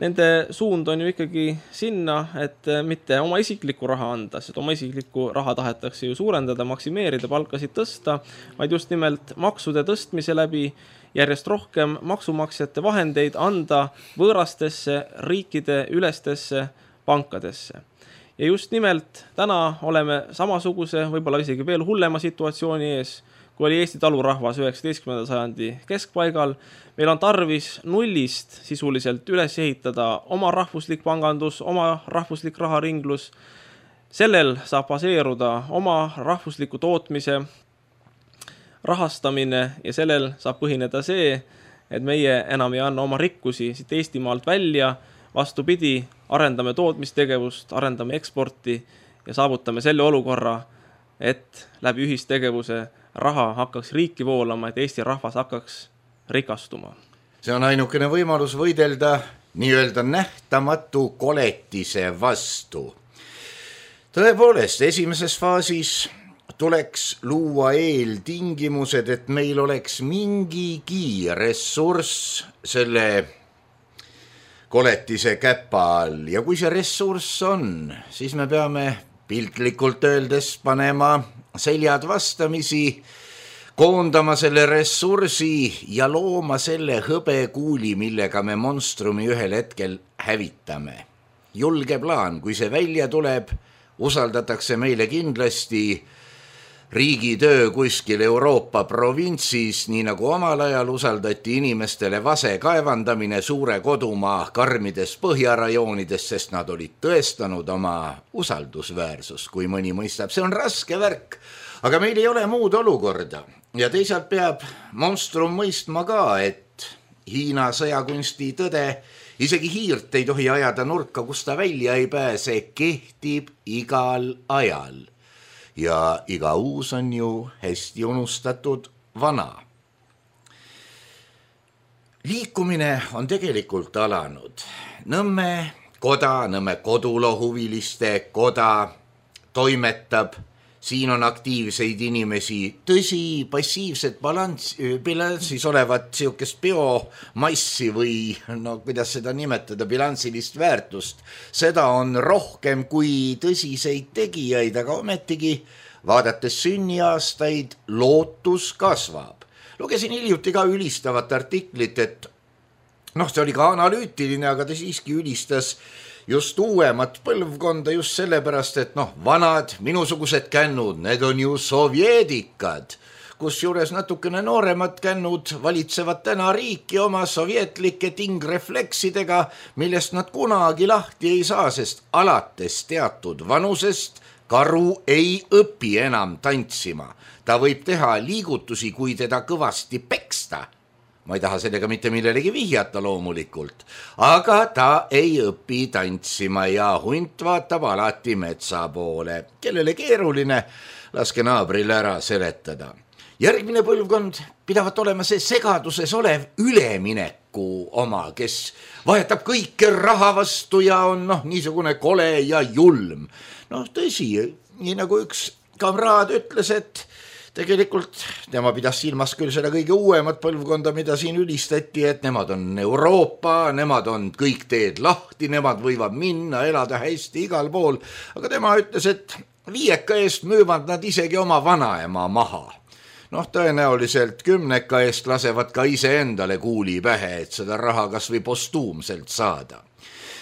nende suund on ju ikkagi sinna, et mitte oma isiklikku raha anda, sest oma isiklikku raha tahetakse ju suurendada, maksimeerida, palkasid tõsta, vaid just nimelt maksude tõstmise läbi järjest rohkem maksumaksjate vahendeid anda võõrastesse riikide ülestesse pankadesse. Ja just nimelt täna oleme samasuguse, võib-olla isegi veel hullema situatsiooni ees, kui oli Eesti talurahvas üheksateistkümnenda sajandi keskpaigal. Meil on tarvis nullist sisuliselt üles ehitada oma rahvuslik pangandus, oma rahvuslik raharinglus. Sellel saab baseeruda oma rahvusliku tootmise rahastamine ja sellel saab põhineda see, et meie enam ei anna oma rikkusi siit Eestimaalt välja, vastupidi, arendame tootmistegevust, arendame eksporti ja saavutame selle olukorra, et läbi ühistegevuse raha hakkaks riiki voolama, et Eesti rahvas hakkaks rikastuma. See on ainukene võimalus võidelda nii-öelda nähtamatu koletise vastu. Tõepoolest, esimeses faasis tuleks luua eeltingimused, et meil oleks mingigi ressurss selle koletise käpa all. Ja kui see ressurss on, siis me peame piltlikult öeldes panema seljad vastamisi, koondama selle ressursi ja looma selle hõbekuuli, millega me monstrumi ühel hetkel hävitame. Julge plaan, kui see välja tuleb, usaldatakse meile kindlasti riigitöö kuskil Euroopa provintsis, nii nagu omal ajal usaldati inimestele vase kaevandamine suure kodumaa karmides põhjarajoonides, sest nad olid tõestanud oma usaldusväärsus, kui mõni mõistab. See on raske värk, aga meil ei ole muud olukorda. Ja teisalt peab monstrum mõistma ka, et Hiina sõjakunsti tõde, isegi hiirt ei tohi ajada nurka, kus ta välja ei pääse, kehtib igal ajal. Ja iga uus on ju hästi unustatud vana. Liikumine on tegelikult alanud. Nõmme koda, Nõmme kodulohuviliste koda toimetab. Siin on aktiivseid inimesi, tõsi, passiivset balans, bilansis olevat siukest biomassi või, no kuidas seda nimetada, bilansilist väärtust. Seda on rohkem kui tõsiseid tegijaid, aga ometigi vaadates sünniaastaid lootus kasvab. Lugesin hiljuti ka ülistavat artiklit, et noh, see oli ka analüütiline, aga ta siiski ülistas just uuemat põlvkonda just sellepärast, et noh, vanad minusugused kännud, need on ju sovjeedikad, kus juures natukene nooremad kännud valitsevad täna riiki oma sovjetlike tingrefleksidega, millest nad kunagi lahti ei saa, sest alates teatud vanusest karu ei õpi enam tantsima. Ta võib teha liigutusi, kui teda kõvasti peksta. Ma ei taha sellega mitte millelegi vihjata loomulikult, aga ta ei õpi tantsima ja hunt vaatab alati metsa poole. Kellele keeruline, laske naabril ära seletada. Järgmine põlvkond pidavat olema see segaduses olev ülemineku oma, kes vahetab kõike raha vastu ja on noh, niisugune kole ja julm. Noh, tõsi, nii nagu üks kamraad ütles, et tegelikult tema pidas silmas küll seda kõige uuemat põlvkonda, mida siin ülistati, et nemad on Euroopa, nemad on kõik teed lahti, nemad võivad minna, elada hästi igal pool, aga tema ütles, et viieka eest müüvad nad isegi oma vanaema maha. Noh, tõenäoliselt kümneka eest lasevad ka ise endale kuuli pähe, et seda raha kas või postuumselt saada.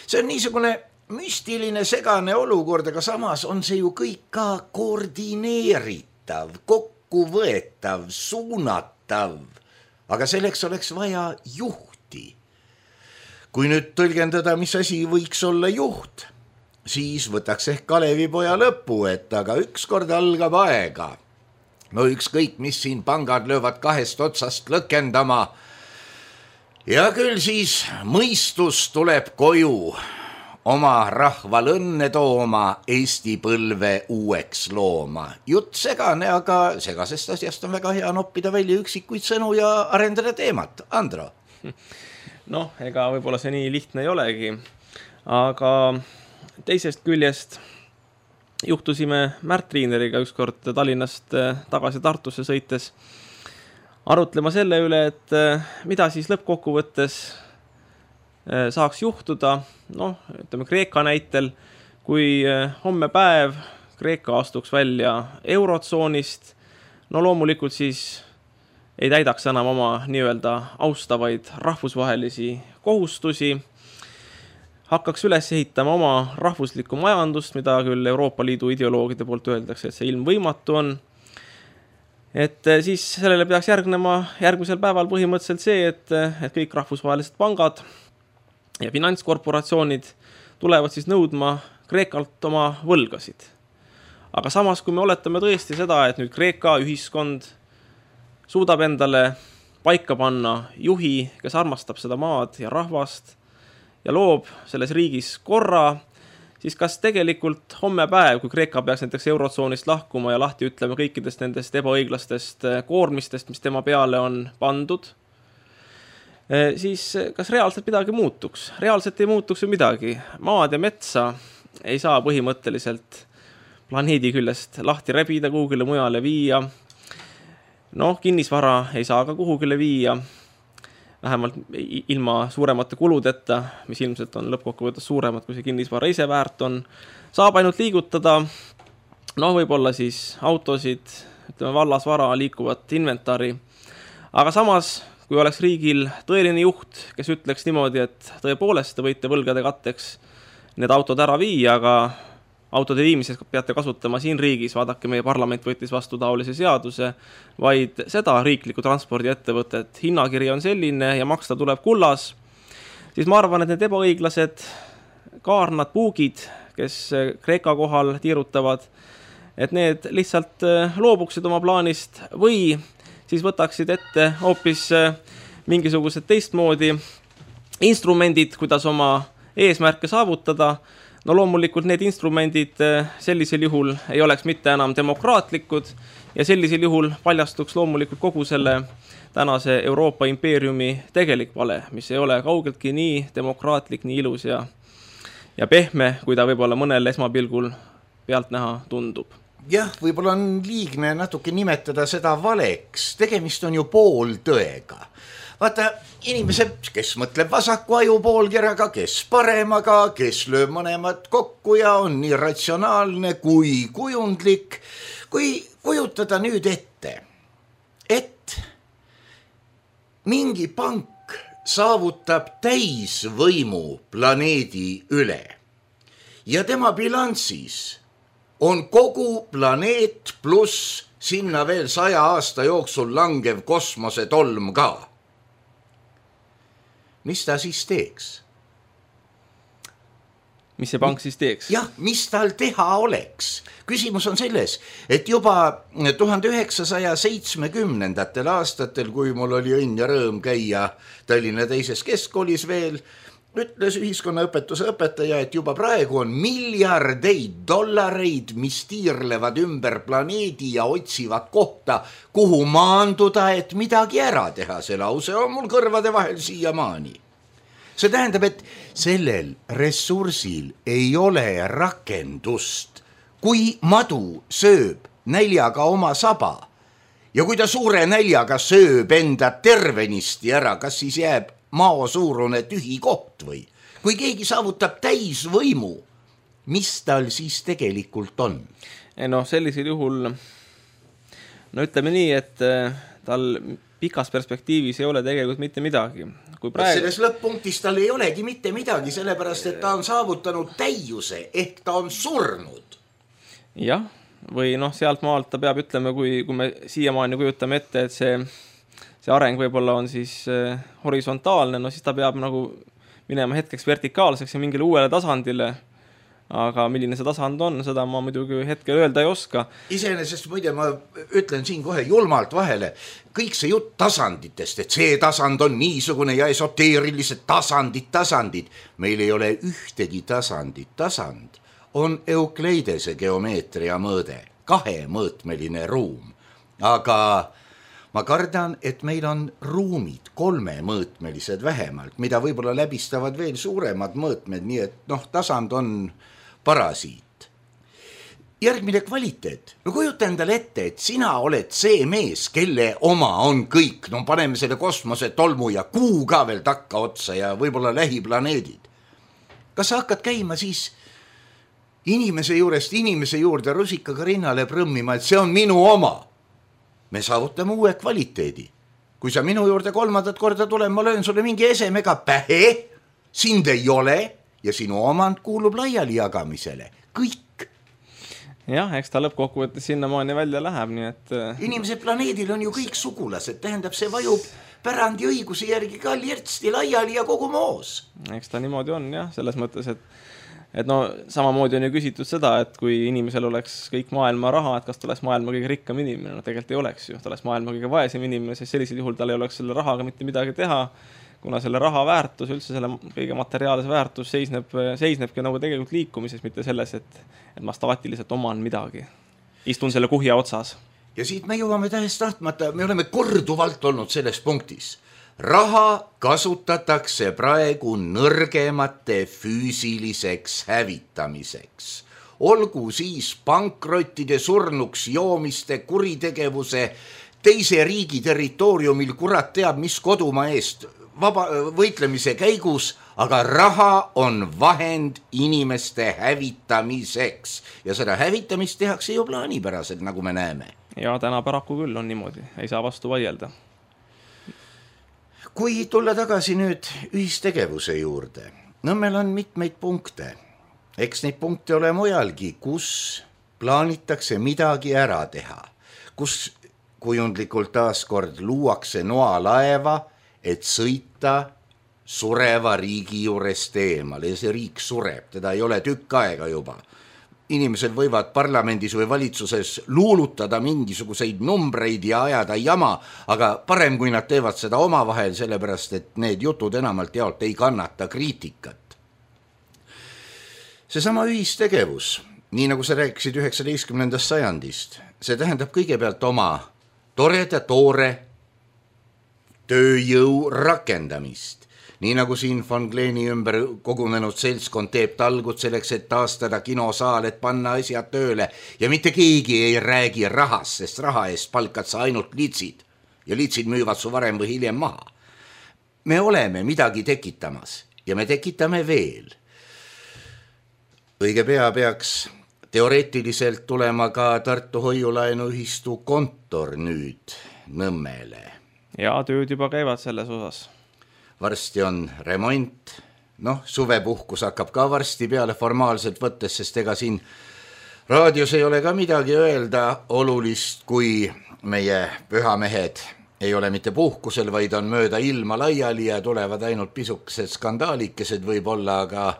See on niisugune müstiline segane olukord, aga samas on see ju kõik ka koordineeritav, kokkuvõetav, suunatav, aga selleks oleks vaja juhti. kui nüüd tõlgendada, mis asi võiks olla juht, siis võtaks ehk Kalevipoja lõpu, et aga ükskord algab aega. No ükskõik, mis siin pangad löövad kahest otsast lõkendama. Ja küll siis mõistus tuleb koju oma rahval õnne tooma, Eesti põlve uueks looma. Jutt segane, aga segasest asjast on väga hea noppida välja üksikuid sõnu ja arendada teemat. Andro? Noh, ega võib-olla see nii lihtne ei olegi, aga teisest küljest juhtusime Märt Riineriga ükskord Tallinnast tagasi Tartusse sõites arutlema selle üle, et mida siis lõppkokkuvõttes saaks juhtuda, noh, ütleme Kreeka näitel, kui homme päev Kreeka astuks välja eurotsoonist, no loomulikult siis ei täidaks enam oma nii-öelda austavaid rahvusvahelisi kohustusi, hakkaks üles ehitama oma rahvuslikku majandust, mida küll Euroopa Liidu ideoloogide poolt öeldakse, et see ilm võimatu on. Et siis sellele peaks järgnema järgmisel päeval põhimõtteliselt see, et, et kõik rahvusvahelised pangad ja finantskorporatsioonid tulevad siis nõudma Kreekalt oma võlgasid. Aga samas, kui me oletame tõesti seda, et nüüd Kreeka ühiskond suudab endale paika panna juhi, kes armastab seda maad ja rahvast ja loob selles riigis korra, siis kas tegelikult homme päev, kui Kreeka peaks näiteks eurotsoonist lahkuma ja lahti ütlema kõikidest nendest ebaõiglastest koormistest, mis tema peale on pandud, siis kas reaalselt midagi muutuks? Reaalselt ei muutuks ju midagi. Maad ja metsa ei saa põhimõtteliselt planeedi küljest lahti rebida, kuhugile mujale viia. Noh, kinnisvara ei saa ka kuhugile viia, vähemalt ilma suuremate kuludeta, mis ilmselt on lõppkokkuvõttes suuremad, kui see kinnisvara ise väärt on. Saab ainult liigutada, noh, võib-olla siis autosid, ütleme vallasvara, liikuvat inventari. Aga samas, kui oleks riigil tõeline juht, kes ütleks niimoodi, et tõepoolest te võite võlgade katteks need autod ära viia, aga autode viimises peate kasutama siin riigis, vaadake, meie parlament võttis vastu taolise seaduse, vaid seda riikliku transpordiettevõtet hinnakiri on selline ja maksta tuleb kullas, siis ma arvan, et need ebaõiglased kaarnad, puugid, kes Kreeka kohal tiirutavad, et need lihtsalt loobuksid oma plaanist või siis võtaksid ette hoopis mingisugused teistmoodi instrumendid, kuidas oma eesmärke saavutada. No loomulikult need instrumendid sellisel juhul ei oleks mitte enam demokraatlikud ja sellisel juhul paljastuks loomulikult kogu selle tänase Euroopa impeeriumi tegelik vale, mis ei ole kaugeltki nii demokraatlik, nii ilus ja, ja pehme, kui ta võib-olla mõnel esmapilgul pealt näha tundub. Jah, võib-olla on liigne natuke nimetada seda valeks, tegemist on ju pooltõega. Vaata, inimesed, kes mõtleb vasaku aju poolkeraga, kes paremaga, kes lööb mõlemad kokku ja on nii ratsionaalne kui kujundlik, kui kujutada nüüd ette, et mingi pank saavutab täisvõimu planeedi üle ja tema bilansis on kogu planeet pluss sinna veel saja aasta jooksul langev kosmosetolm ka. Mis ta siis teeks? Mis see pank siis teeks? Jah, mis tal teha oleks? Küsimus on selles, et juba tuhande üheksasaja seitsmekümnendatel aastatel, kui mul oli õnn ja rõõm käia Tallinna teises keskkoolis veel, ütles ühiskonnaõpetuse õpetaja, et juba praegu on miljardeid dollareid, mis tiirlevad ümber planeedi ja otsivad kohta, kuhu maanduda, et midagi ära teha. See lause on mul kõrvade vahel siiamaani. See tähendab, et sellel ressursil ei ole rakendust. Kui madu sööb näljaga oma saba ja kui ta suure näljaga sööb enda tervenisti ära, kas siis jääb mao suurune tühi koht või? Kui keegi saavutab täisvõimu, mis tal siis tegelikult on? No sellisel juhul, no ütleme nii, et tal pikas perspektiivis ei ole tegelikult mitte midagi. Kui praegu... Selles lõpp-punktis tal ei olegi mitte midagi, sellepärast, et ta on saavutanud täiuse, ehk ta on surnud. Jah, või noh, sealt maalt ta peab ütlema, kui, kui me siiamaani kujutame ette, et see, see areng võib-olla on siis horisontaalne, no siis ta peab nagu minema hetkeks vertikaalseks ja mingile uuele tasandile, aga milline see tasand on, seda ma muidugi hetkel öelda ei oska. Iseenesest muide ma ütlen siin kohe julmalt vahele, kõik see jutt tasanditest, et see tasand on niisugune ja esoteerilised tasandid, tasandid. Meil ei ole ühtegi tasandit. Tasand on Eukleidese geomeetria mõõde, kahemõõtmeline ruum. Aga ma kardan, et meil on ruumid kolmemõõtmelised vähemalt, mida võib-olla läbistavad veel suuremad mõõtmed, nii et noh, tasand on parasiit. Järgmine kvaliteet. No kujuta endale ette, et sina oled see mees, kelle oma on kõik. No paneme selle kosmose, tolmu ja kuu ka veel takka otsa ja võib-olla lähiplaneedid. Kas sa hakkad käima siis inimese juurest inimese juurde rusikaga rinnale prõmmima, et see on minu oma? Me saavutame uue kvaliteedi. Kui sa minu juurde kolmandat korda tulema, ma löön sulle mingi esemega pähe, sind ei ole ja sinu omand kuulub laiali jagamisele. Kõik. Jah, eks ta lõppkokkuvõttes sinnamaani välja läheb, nii et... Inimesed planeedil on ju kõik sugulased, tähendab, see vajub pärandi õiguse järgi ka lirtsti laiali ja kogu moos. Eks ta niimoodi on, jah, selles mõttes, et et no samamoodi on ju küsitud seda, et kui inimesel oleks kõik maailma raha, et kas ta oleks maailma kõige rikkam inimene, no tegelikult ei oleks ju, ta oleks maailma kõige vaesem inimene, sest sellisel juhul tal ei oleks selle rahaga mitte midagi teha, kuna selle raha väärtus, üldse selle kõige materiaalse väärtus seisneb, seisnebki nagu tegelikult liikumises, mitte selles, et, et ma staatiliselt oman midagi. Istun selle kuhja otsas. Ja siit me jõuame tähest tahtmata, me oleme korduvalt olnud selles punktis. Raha kasutatakse praegu nõrgemate füüsiliseks hävitamiseks. Olgu siis pankrottide, surnuks joomiste, kuritegevuse, teise riigi territooriumil kurat teab, mis kodumaa eest vaba, võitlemise käigus, aga raha on vahend inimeste hävitamiseks. Ja seda hävitamist tehakse ju plaanipäraselt, nagu me näeme. Ja täna paraku küll on niimoodi, ei saa vastu vaielda. Kui tulla tagasi nüüd ühistegevuse juurde, no meil on mitmeid punkte. Eks neid punkte ole mujalgi, kus plaanitakse midagi ära teha, kus kujundlikult taaskord luuakse noalaeva, et sõita sureva riigi juurest eemale ja see riik sureb, teda ei ole tükk aega juba. Inimesed võivad parlamendis või valitsuses luulutada mingisuguseid numbreid ja ajada jama, aga parem kui nad teevad seda omavahel, sellepärast et need jutud enamalt jaolt ei kannata kriitikat. Seesama ühistegevus, nii nagu sa rääkisid üheksateistkümnendast sajandist, see tähendab kõigepealt oma toreda toore tööjõu rakendamist. Nii nagu siin Von Kleeni ümber kogunenud seltskond teeb talgud selleks, et taastada kinosaal, et panna asjad tööle ja mitte keegi ei räägi rahas, sest raha eest palkad sa ainult litsid ja litsid müüvad su varem või hiljem maha. Me oleme midagi tekitamas ja me tekitame veel. Õige pea peaks teoreetiliselt tulema ka Tartu hoiulaenuühistu kontor nüüd Nõmmele. Ja tööd juba käivad selles osas. Varsti on remont, noh, suvepuhkus hakkab ka varsti peale formaalselt võttes, sest ega siin raadios ei ole ka midagi öelda olulist, kui meie pühamehed ei ole mitte puhkusel, vaid on mööda ilma laiali ja tulevad ainult pisukesed skandaalikesed võib-olla, aga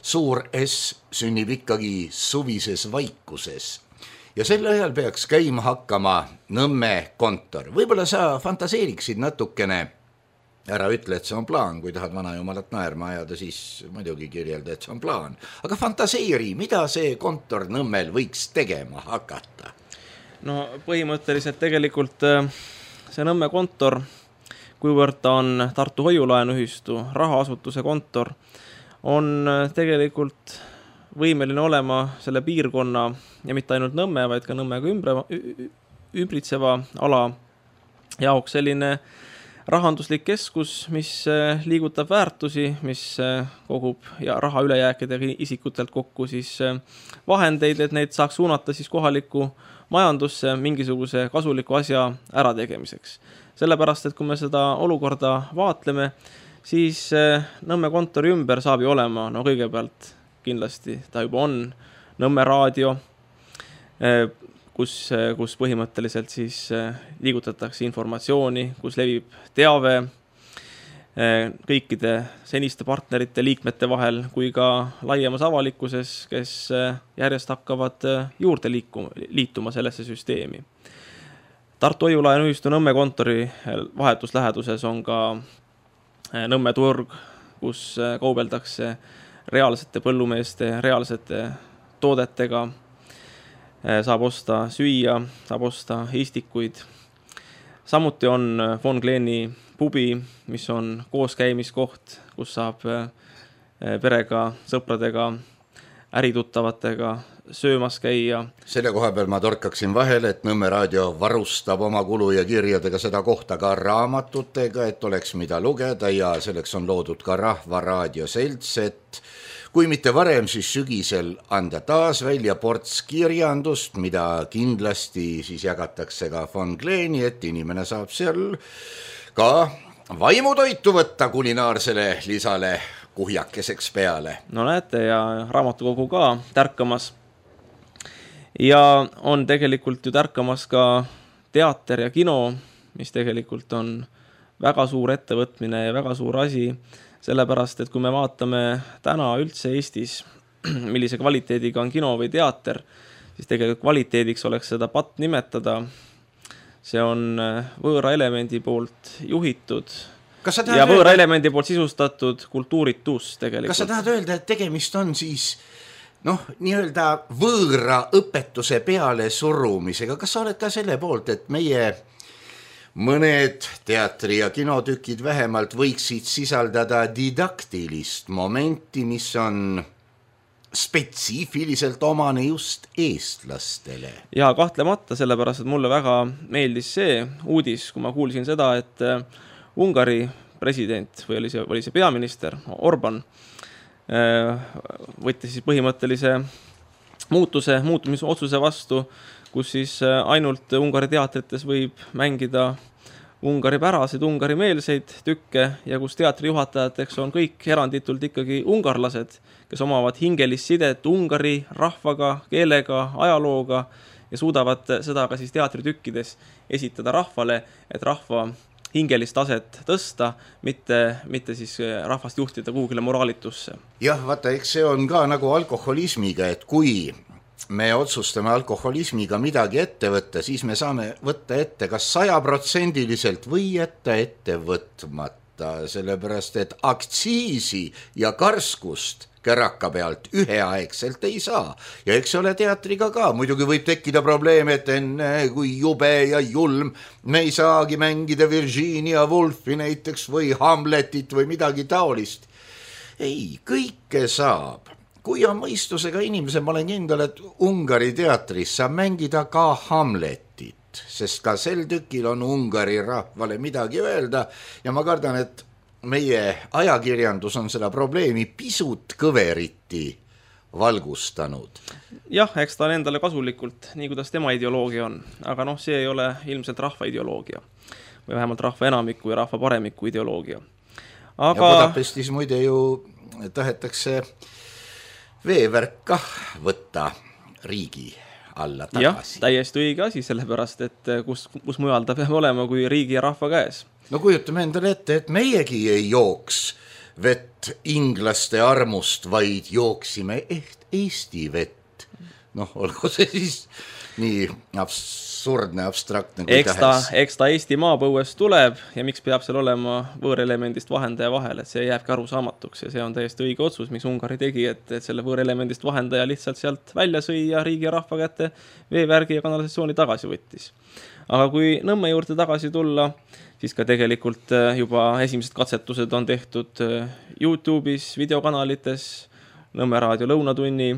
suur S sünnib ikkagi suvises vaikuses. Ja sel ajal peaks käima hakkama Nõmme kontor. Võib-olla sa fantaseeriksid natukene, ära ütle, et see on plaan, kui tahad vana jumalat naerma ajada, siis muidugi kirjelda, et see on plaan. Aga fantaseeri, mida see kontor Nõmmel võiks tegema hakata? No põhimõtteliselt tegelikult see Nõmme kontor, kuivõrd ta on Tartu hoiulaenuühistu rahaasutuse kontor, on tegelikult võimeline olema selle piirkonna ja mitte ainult Nõmme, vaid ka Nõmmega ümbritseva ala jaoks selline rahanduslik keskus, mis liigutab väärtusi, mis kogub ja raha ülejääkidega isikutelt kokku siis vahendeid, et neid saaks suunata siis kohalikku majandusse mingisuguse kasuliku asja ärategemiseks. Sellepärast, et kui me seda olukorda vaatleme, siis Nõmme kontori ümber saab ju olema, no kõigepealt kindlasti ta juba on Nõmme raadio, kus, kus põhimõtteliselt siis liigutatakse informatsiooni, kus levib teave. kõikide seniste partnerite liikmete vahel kui ka laiemas avalikkuses, kes järjest hakkavad juurde liikuma, liituma sellesse süsteemi. Tartu Hoiulaen ühistu Nõmme kontori vahetusläheduses on ka Nõmme turg, kus kaubeldakse reaalsete põllumeeste, reaalsete toodetega, saab osta süüa, saab osta istikuid. Samuti on Von Gleni pubi, mis on kooskäimiskoht, kus saab perega, sõpradega, ärituttavatega söömas käia. Selle koha peal ma torkaksin vahele, et Nõmme raadio varustab oma kulu ja kirjadega seda kohta ka raamatutega, et oleks mida lugeda ja selleks on loodud ka Rahva Raadio selts, et kui mitte varem, siis sügisel anda taas välja ports kirjandust, mida kindlasti siis jagatakse ka Von Gleni, et inimene saab seal ka vaimutoitu võtta kulinaarsele lisale kuhjakeseks peale. No näete, ja raamatukogu ka tärkamas. Ja on tegelikult ju tärkamas ka teater ja kino, mis tegelikult on väga suur ettevõtmine ja väga suur asi, sellepärast, et kui me vaatame täna üldse Eestis, millise kvaliteediga on kino või teater, siis tegelikult kvaliteediks oleks seda patt nimetada. See on võõra elemendi poolt juhitud ja võõra öelda, elemendi poolt sisustatud kultuuritus tegelikult. Kas sa tahad öelda, et tegemist on siis noh, nii-öelda võõra õpetuse peale surumisega? Kas sa oled ka selle poolt, et meie mõned teatri- ja kinotükid vähemalt võiksid sisaldada didaktilist momenti, mis on spetsiifiliselt omane just eestlastele? Ja kahtlemata, sellepärast, et mulle väga meeldis see uudis, kui ma kuulsin seda, et Ungari president või oli see, oli see peaminister Orban võttis siis põhimõttelise muutuse, muutumisotsuse vastu, kus siis ainult Ungari teatrites võib mängida Ungari päraseid, Ungari meelseid tükke ja kus teatrijuhatajateks on kõik eranditult ikkagi ungarlased, kes omavad hingelist sidet Ungari rahvaga, keelega, ajalooga ja suudavad seda ka siis teatritükkides esitada rahvale, et rahva hingelist taset tõsta, mitte, mitte siis rahvast juhtida kuhugile moraalitusse. Jah, vaata, eks see on ka nagu alkoholismiga, et kui me otsustame alkoholismiga midagi ette võtta, siis me saame võtta ette kas sajaprotsendiliselt või jätta ette võtmata, sellepärast et aktsiisi ja karskust käraka pealt üheaegselt ei saa. Ja eks ole teatriga ka, muidugi võib tekkida probleem, et enne kui jube ja julm me ei saagi mängida Virginia Woolfi näiteks või Hamletit või midagi taolist. Ei, kõike saab. Kui on mõistusega inimese, ma olen kindel, et Ungari teatris saab mängida ka Hamletit, sest ka sel tükil on Ungari rahvale midagi öelda ja ma kardan, et meie ajakirjandus on seda probleemi pisut kõveriti valgustanud. Jah, eks ta on endale kasulikult, nii kuidas tema ideoloogia on, aga noh, see ei ole ilmselt rahva ideoloogia või vähemalt rahva enamiku ja rahva paremiku ideoloogia. Aga... Ja Budapestis muide ju tahetakse veevärk kah võtta riigi alla tagasi. Jah, täiesti õige asi, sellepärast, et kus, kus mujal ta peab olema kui riigi ja rahva käes. No kujutame endale ette, et meiegi ei jooks vett inglaste armust, vaid jooksime eht Eesti vett. Noh, olgu see siis nii absurdne, abstraktne kui eks ta, tähes. Eks ta Eesti maapõuest tuleb ja miks peab seal olema võõrelemendist vahendaja vahel, et see jääbki arusaamatuks ja see on täiesti õige otsus, miks Ungari tegi, et, et selle võõrelemendist vahendaja lihtsalt sealt välja sõi ja riigi ja rahva kätte veevärgi ja kanalisatsiooni tagasi võttis. Aga kui Nõmme juurde tagasi tulla, siis ka tegelikult juba esimesed katsetused on tehtud YouTube'is, videokanalites, Nõmme raadio lõunatunni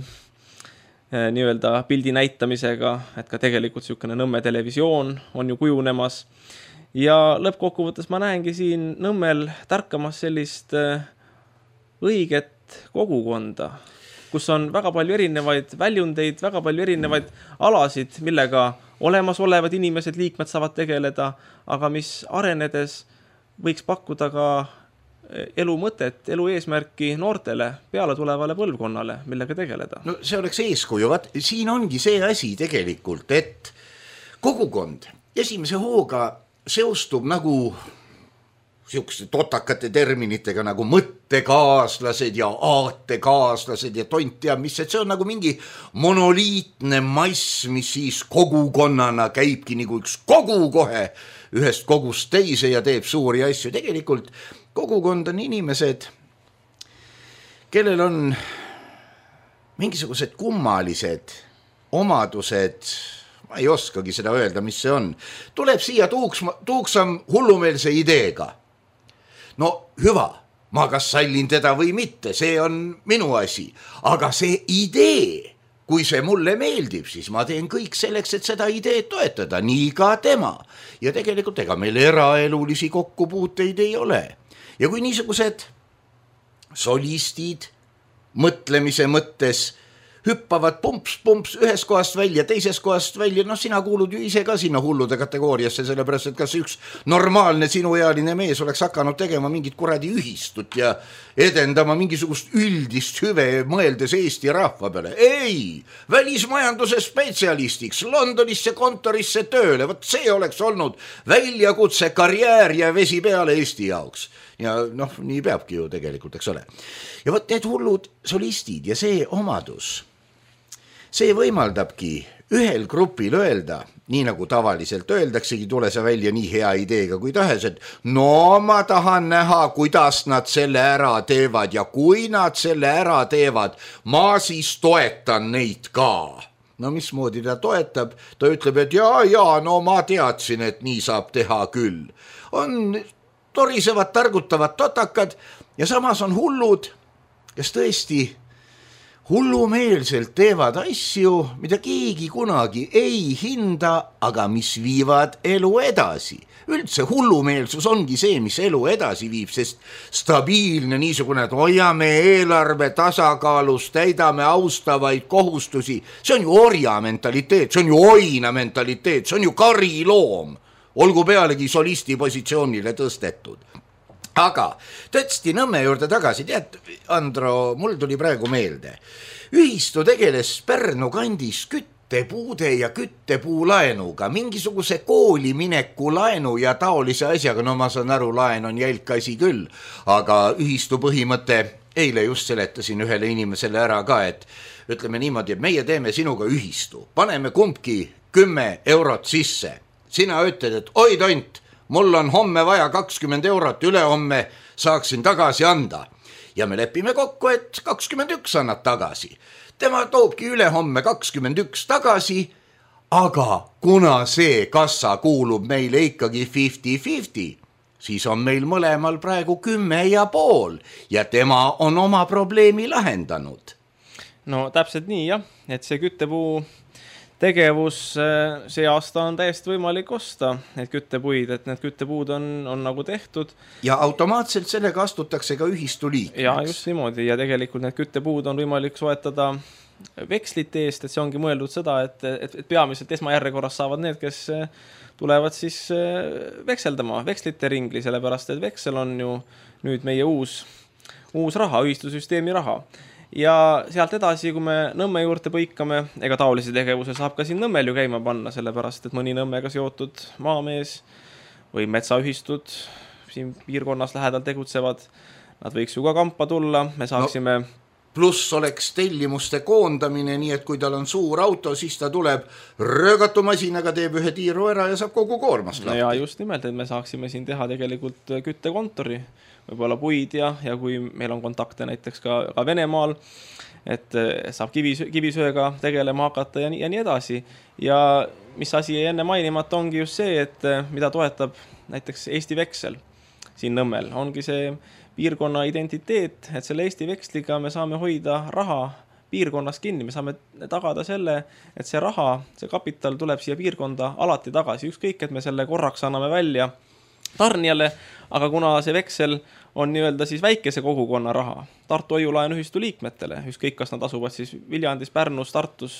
nii-öelda pildi näitamisega, et ka tegelikult niisugune Nõmme televisioon on ju kujunemas. Ja lõppkokkuvõttes ma näengi siin Nõmmel tärkamas sellist õiget kogukonda, kus on väga palju erinevaid väljundeid, väga palju erinevaid alasid, millega olemasolevad inimesed, liikmed saavad tegeleda, aga mis arenedes võiks pakkuda ka elu mõtet, elu eesmärki noortele, peale tulevale põlvkonnale, millega tegeleda. No see oleks eeskuju, vaat siin ongi see asi tegelikult, et kogukond esimese hooga seostub nagu siukeste totakate terminitega nagu mõttekaaslased ja aatekaaslased ja tont teab mis, et see on nagu mingi monoliitne mass, mis siis kogukonnana käibki nagu üks kogu kohe ühest kogust teise ja teeb suuri asju. Tegelikult kogukond on inimesed, kellel on mingisugused kummalised omadused, ma ei oskagi seda öelda, mis see on. Tuleb siia tuuks, tuuksam hullumeelse ideega. No hüva, ma kas sallin teda või mitte, see on minu asi. Aga see idee, kui see mulle meeldib, siis ma teen kõik selleks, et seda ideed toetada, nii ka tema. Ja tegelikult ega meil eraelulisi kokkupuuteid ei ole. Ja kui niisugused solistid mõtlemise mõttes hüppavad pumps-pumps ühes kohast välja, teises kohast välja, noh sina kuulud ju ise ka sinna hullude kategooriasse, sellepärast, et kas üks normaalne sinuealine mees oleks hakanud tegema mingit kuradi ühistut ja edendama mingisugust üldist hüve mõeldes Eesti rahva peale. Ei, välismajanduse spetsialistiks Londonisse kontorisse tööle, võt see oleks olnud väljakutse, karjäär ja vesi peale Eesti jaoks. Ja noh, nii peabki ju tegelikult, eks ole. Ja võt need hullud solistid ja see omadus, see võimaldabki ühel grupil öelda, nii nagu tavaliselt öeldaksegi, tule sa välja nii hea ideega kui tahes, et no ma tahan näha, kuidas nad selle ära teevad ja kui nad selle ära teevad, ma siis toetan neid ka. No mismoodi ta toetab? Ta ütleb, et jaa, jaa, no ma teadsin, et nii saab teha küll. On torisevad, targutavad totakad ja samas on hullud, kes tõesti hullumeelselt teevad asju, mida keegi kunagi ei hinda, aga mis viivad elu edasi. Üldse hullumeelsus ongi see, mis elu edasi viib, sest stabiilne niisugune, et hoiame eelarve tasakaalus, täidame austavaid kohustusi, see on ju orja mentaliteet, see on ju oina mentaliteet, see on ju kariloom, olgu pealegi solisti positsioonile tõstetud. Aga tõesti Nõmme juurde tagasi, tead, Andro, mul tuli praegu meelde. Ühistu tegeles Pärnu kandis küttepuude ja küttepuulaenuga, mingisuguse kooli mineku laenu ja taolise asjaga, no ma saan aru, laen on jälk asi küll, aga ühistu põhimõte, eile just seletasin ühele inimesele ära ka, et ütleme niimoodi, et meie teeme sinuga ühistu, paneme kumbki kümme eurot sisse, sina ütled, et oi tont, mul on homme vaja kakskümmend eurot, üle homme saaksin tagasi anda. Ja me lepime kokku, et kakskümmend üks annad tagasi. Tema toobki üle homme kakskümmend üks tagasi, aga kuna see kassa kuulub meile ikkagi viiskümmend viiskümmend, siis on meil mõlemal praegu kümme ja pool ja tema on oma probleemi lahendanud. No täpselt nii jah, et see küttepuu tegevus see aasta on täiesti võimalik osta, need küttepuid, et need küttepuud on, on nagu tehtud. Ja automaatselt sellega astutakse ka ühistu liikmeks. Ja just niimoodi ja tegelikult need küttepuud on võimalik soetada vekslite eest, et see ongi mõeldud seda, et, et, et peamiselt esmajärjekorras saavad need, kes tulevad siis vekseldama vekslite ringli, sellepärast et veksel on ju nüüd meie uus, uus raha, ühistusüsteemi raha. Ja sealt edasi, kui me Nõmme juurde põikame, ega taolisi tegevuse saab ka siin Nõmmel ju käima panna, sellepärast, et mõni Nõmmega seotud maamees või metsaühistud siin piirkonnas lähedal tegutsevad, nad võiks ju ka kampa tulla, me saaksime... No, pluss oleks tellimuste koondamine, nii et kui tal on suur auto, siis ta tuleb röögatumasinaga, teeb ühe tiiru ära ja saab kogu koormast lahti. Ja just nimelt, et me saaksime siin teha tegelikult küttekontori, võib-olla puid ja, ja kui meil on kontakte näiteks ka, ka Venemaal, et saab kivis, kivisööga tegelema hakata ja nii, ja nii edasi. Ja mis asi enne mainimata ongi just see, et mida toetab näiteks Eesti veksel siin Nõmmel, ongi see piirkonna identiteet, et selle Eesti veksliga me saame hoida raha piirkonnas kinni, me saame tagada selle, et see raha, see kapital tuleb siia piirkonda alati tagasi, ükskõik, et me selle korraks anname välja tarnijale, aga kuna see veksel on nii-öelda siis väikese kogukonna raha Tartu Hoiu-laenuühistu liikmetele, ükskõik kas nad asuvad siis Viljandis, Pärnus, Tartus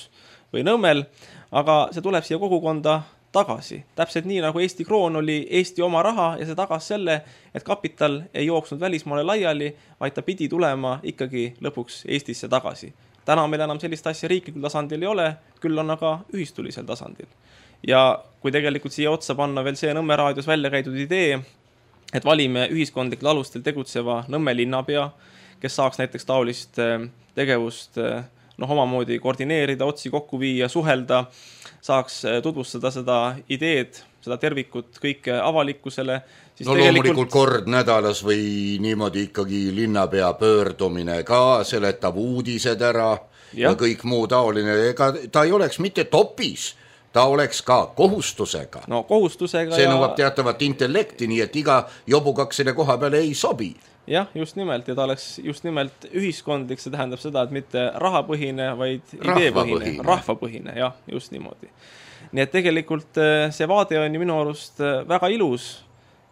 või Nõmmel, aga see tuleb siia kogukonda tagasi. Täpselt nii, nagu Eesti kroon oli Eesti oma raha ja see tagas selle, et kapital ei jooksnud välismaale laiali, vaid ta pidi tulema ikkagi lõpuks Eestisse tagasi. Täna meil enam sellist asja riiklikul tasandil ei ole, küll on aga ühistulisel tasandil. Ja kui tegelikult siia otsa panna veel see Nõmme raadios välja käidud idee, et valime ühiskondlikul alustel tegutseva Nõmme linnapea, kes saaks näiteks taolist tegevust noh, omamoodi koordineerida, otsi kokku viia, suhelda, saaks tutvustada seda ideed, seda tervikut kõike avalikkusele. Siis no loomulikult kord nädalas või niimoodi ikkagi linnapea pöördumine ka, seletab uudised ära ja, ja kõik muu taoline. Ega ta ei oleks mitte topis, ta oleks ka kohustusega. No kohustusega. See ja... nõuab teatavat intellekti, nii et iga jobukaksele koha peale ei sobi. Jah, just nimelt, ja ta oleks just nimelt ühiskondlik, see tähendab seda, et mitte rahapõhine, vaid ideepõhine, rahvapõhine, jah, just niimoodi. Nii et tegelikult see vaade on ju minu arust väga ilus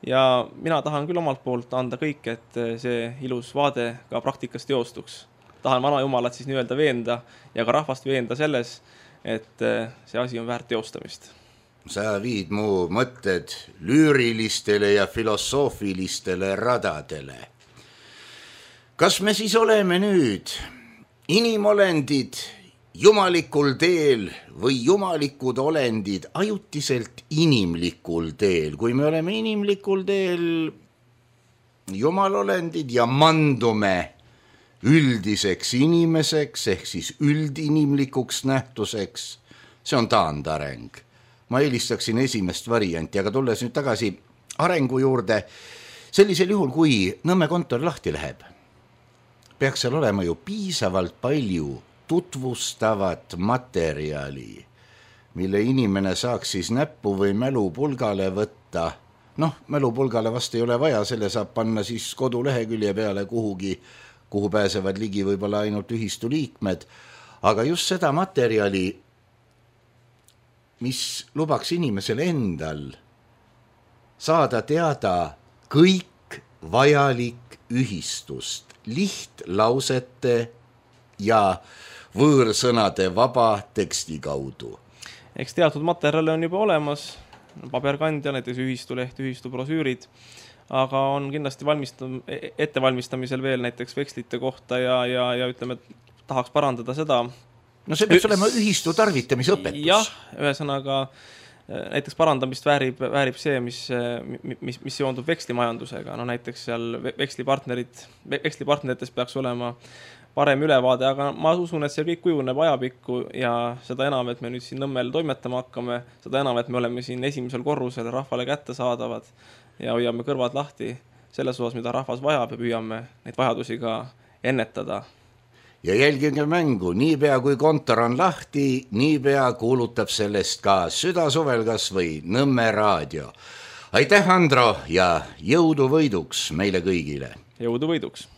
ja mina tahan küll omalt poolt anda kõik, et see ilus vaade ka praktikas teostuks. Tahan vana jumalat siis nii-öelda veenda ja ka rahvast veenda selles, et see asi on väärt teostamist. Sa viid mu mõtted lüürilistele ja filosoofilistele radadele. Kas me siis oleme nüüd inimolendid jumalikul teel või jumalikud olendid ajutiselt inimlikul teel? Kui me oleme inimlikul teel jumalolendid ja mandume üldiseks inimeseks ehk siis üldinimlikuks nähtuseks, see on taandareng. Ma eelistaksin esimest varianti, aga tulles nüüd tagasi arengu juurde, sellisel juhul, kui Nõmme kontor lahti läheb, peaks seal olema ju piisavalt palju tutvustavat materjali, mille inimene saaks siis näppu või mälupulgale võtta. Noh, mälupulgale vast ei ole vaja, selle saab panna siis kodulehekülje peale kuhugi, kuhu pääsevad ligi võib-olla ainult ühistu liikmed, aga just seda materjali, mis lubaks inimesel endal saada teada kõik vajalik ühistust, lihtlausete ja võõrsõnade vaba teksti kaudu. Eks teatud materjali on juba olemas, paberkandja, näiteks ühistuleht, ühistu brosüürid, aga on kindlasti valmistam, ettevalmistamisel veel näiteks vekslite kohta ja, ja, ja ütleme, tahaks parandada seda. No see peaks olema ühistu tarvitamisõpetus. Jah, ühesõnaga näiteks parandamist väärib, väärib see, mis, mis, mis seondub vekslimajandusega. No näiteks seal vekslipartnerid, vekslipartnerites peaks olema parem ülevaade, aga ma usun, et see kõik kujuneb ajapikku ja seda enam, et me nüüd siin Nõmmel toimetama hakkame, seda enam, et me oleme siin esimesel korrusel rahvale kätte saadavad ja hoiame kõrvad lahti selles osas, mida rahvas vajab ja püüame neid vajadusi ka ennetada. Ja jälgige mängu, niipea kui kontor on lahti, niipea kuulutab sellest ka Südasuvel kas või Nõmme raadio. Aitäh, Andro, ja jõudu võiduks meile kõigile. Jõudu võiduks.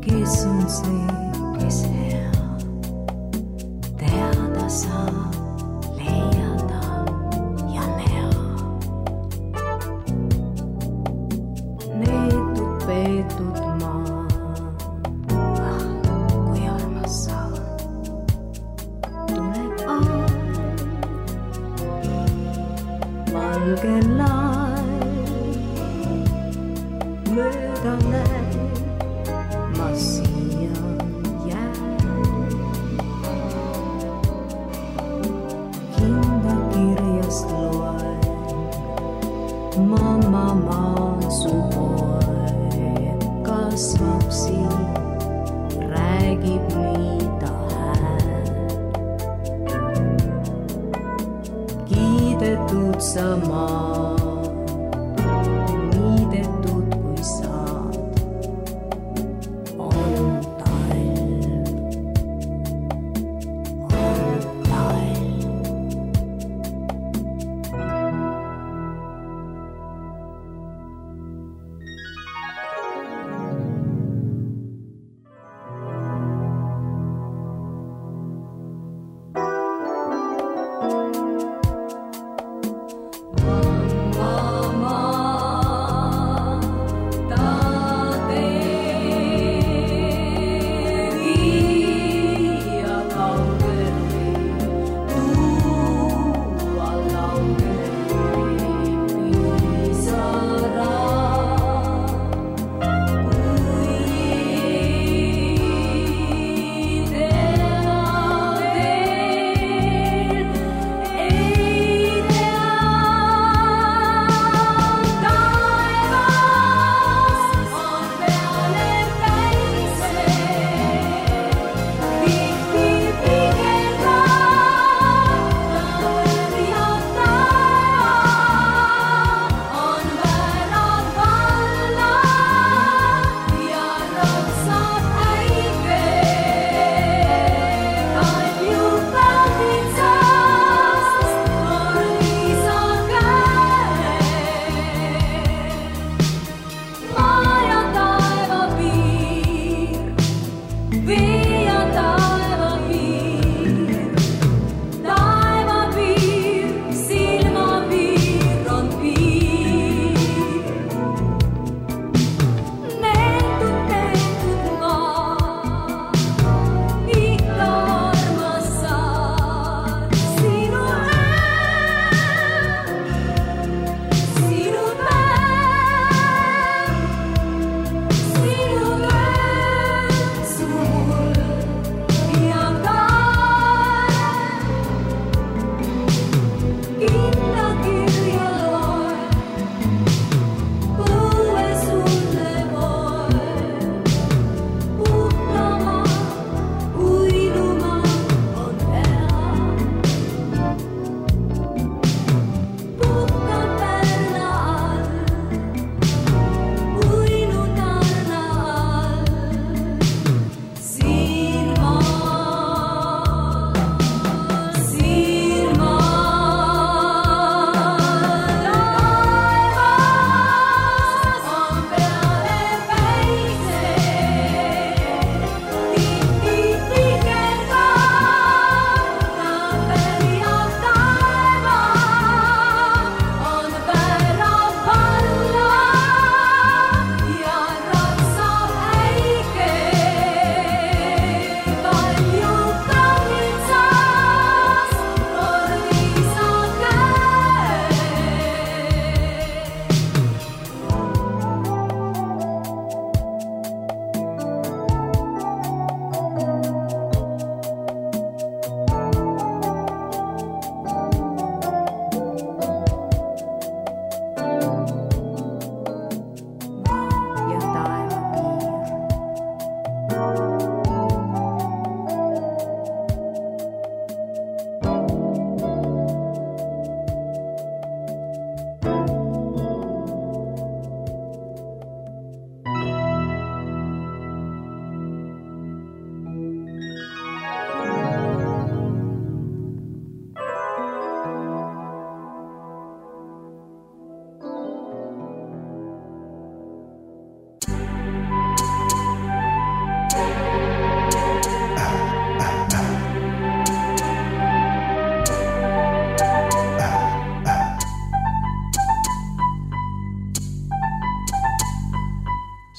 kes on see, kes hea teada saab, leiada ja näha. Neetud, peetud maa, ah, kui armas sa. Tuleb aeg, valge laev, mööda näeb, ma siia jään. Hinda kirjast loen, mamma maasu poeg kasvab siin, räägib mida hääl. Kiidetud sa maa, niidetud kui saad, on talv, on talv. Wow.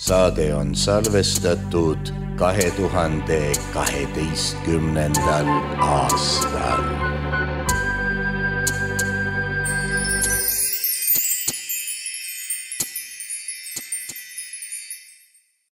saade on salvestatud kahe tuhande kaheteistkümnendal aastal.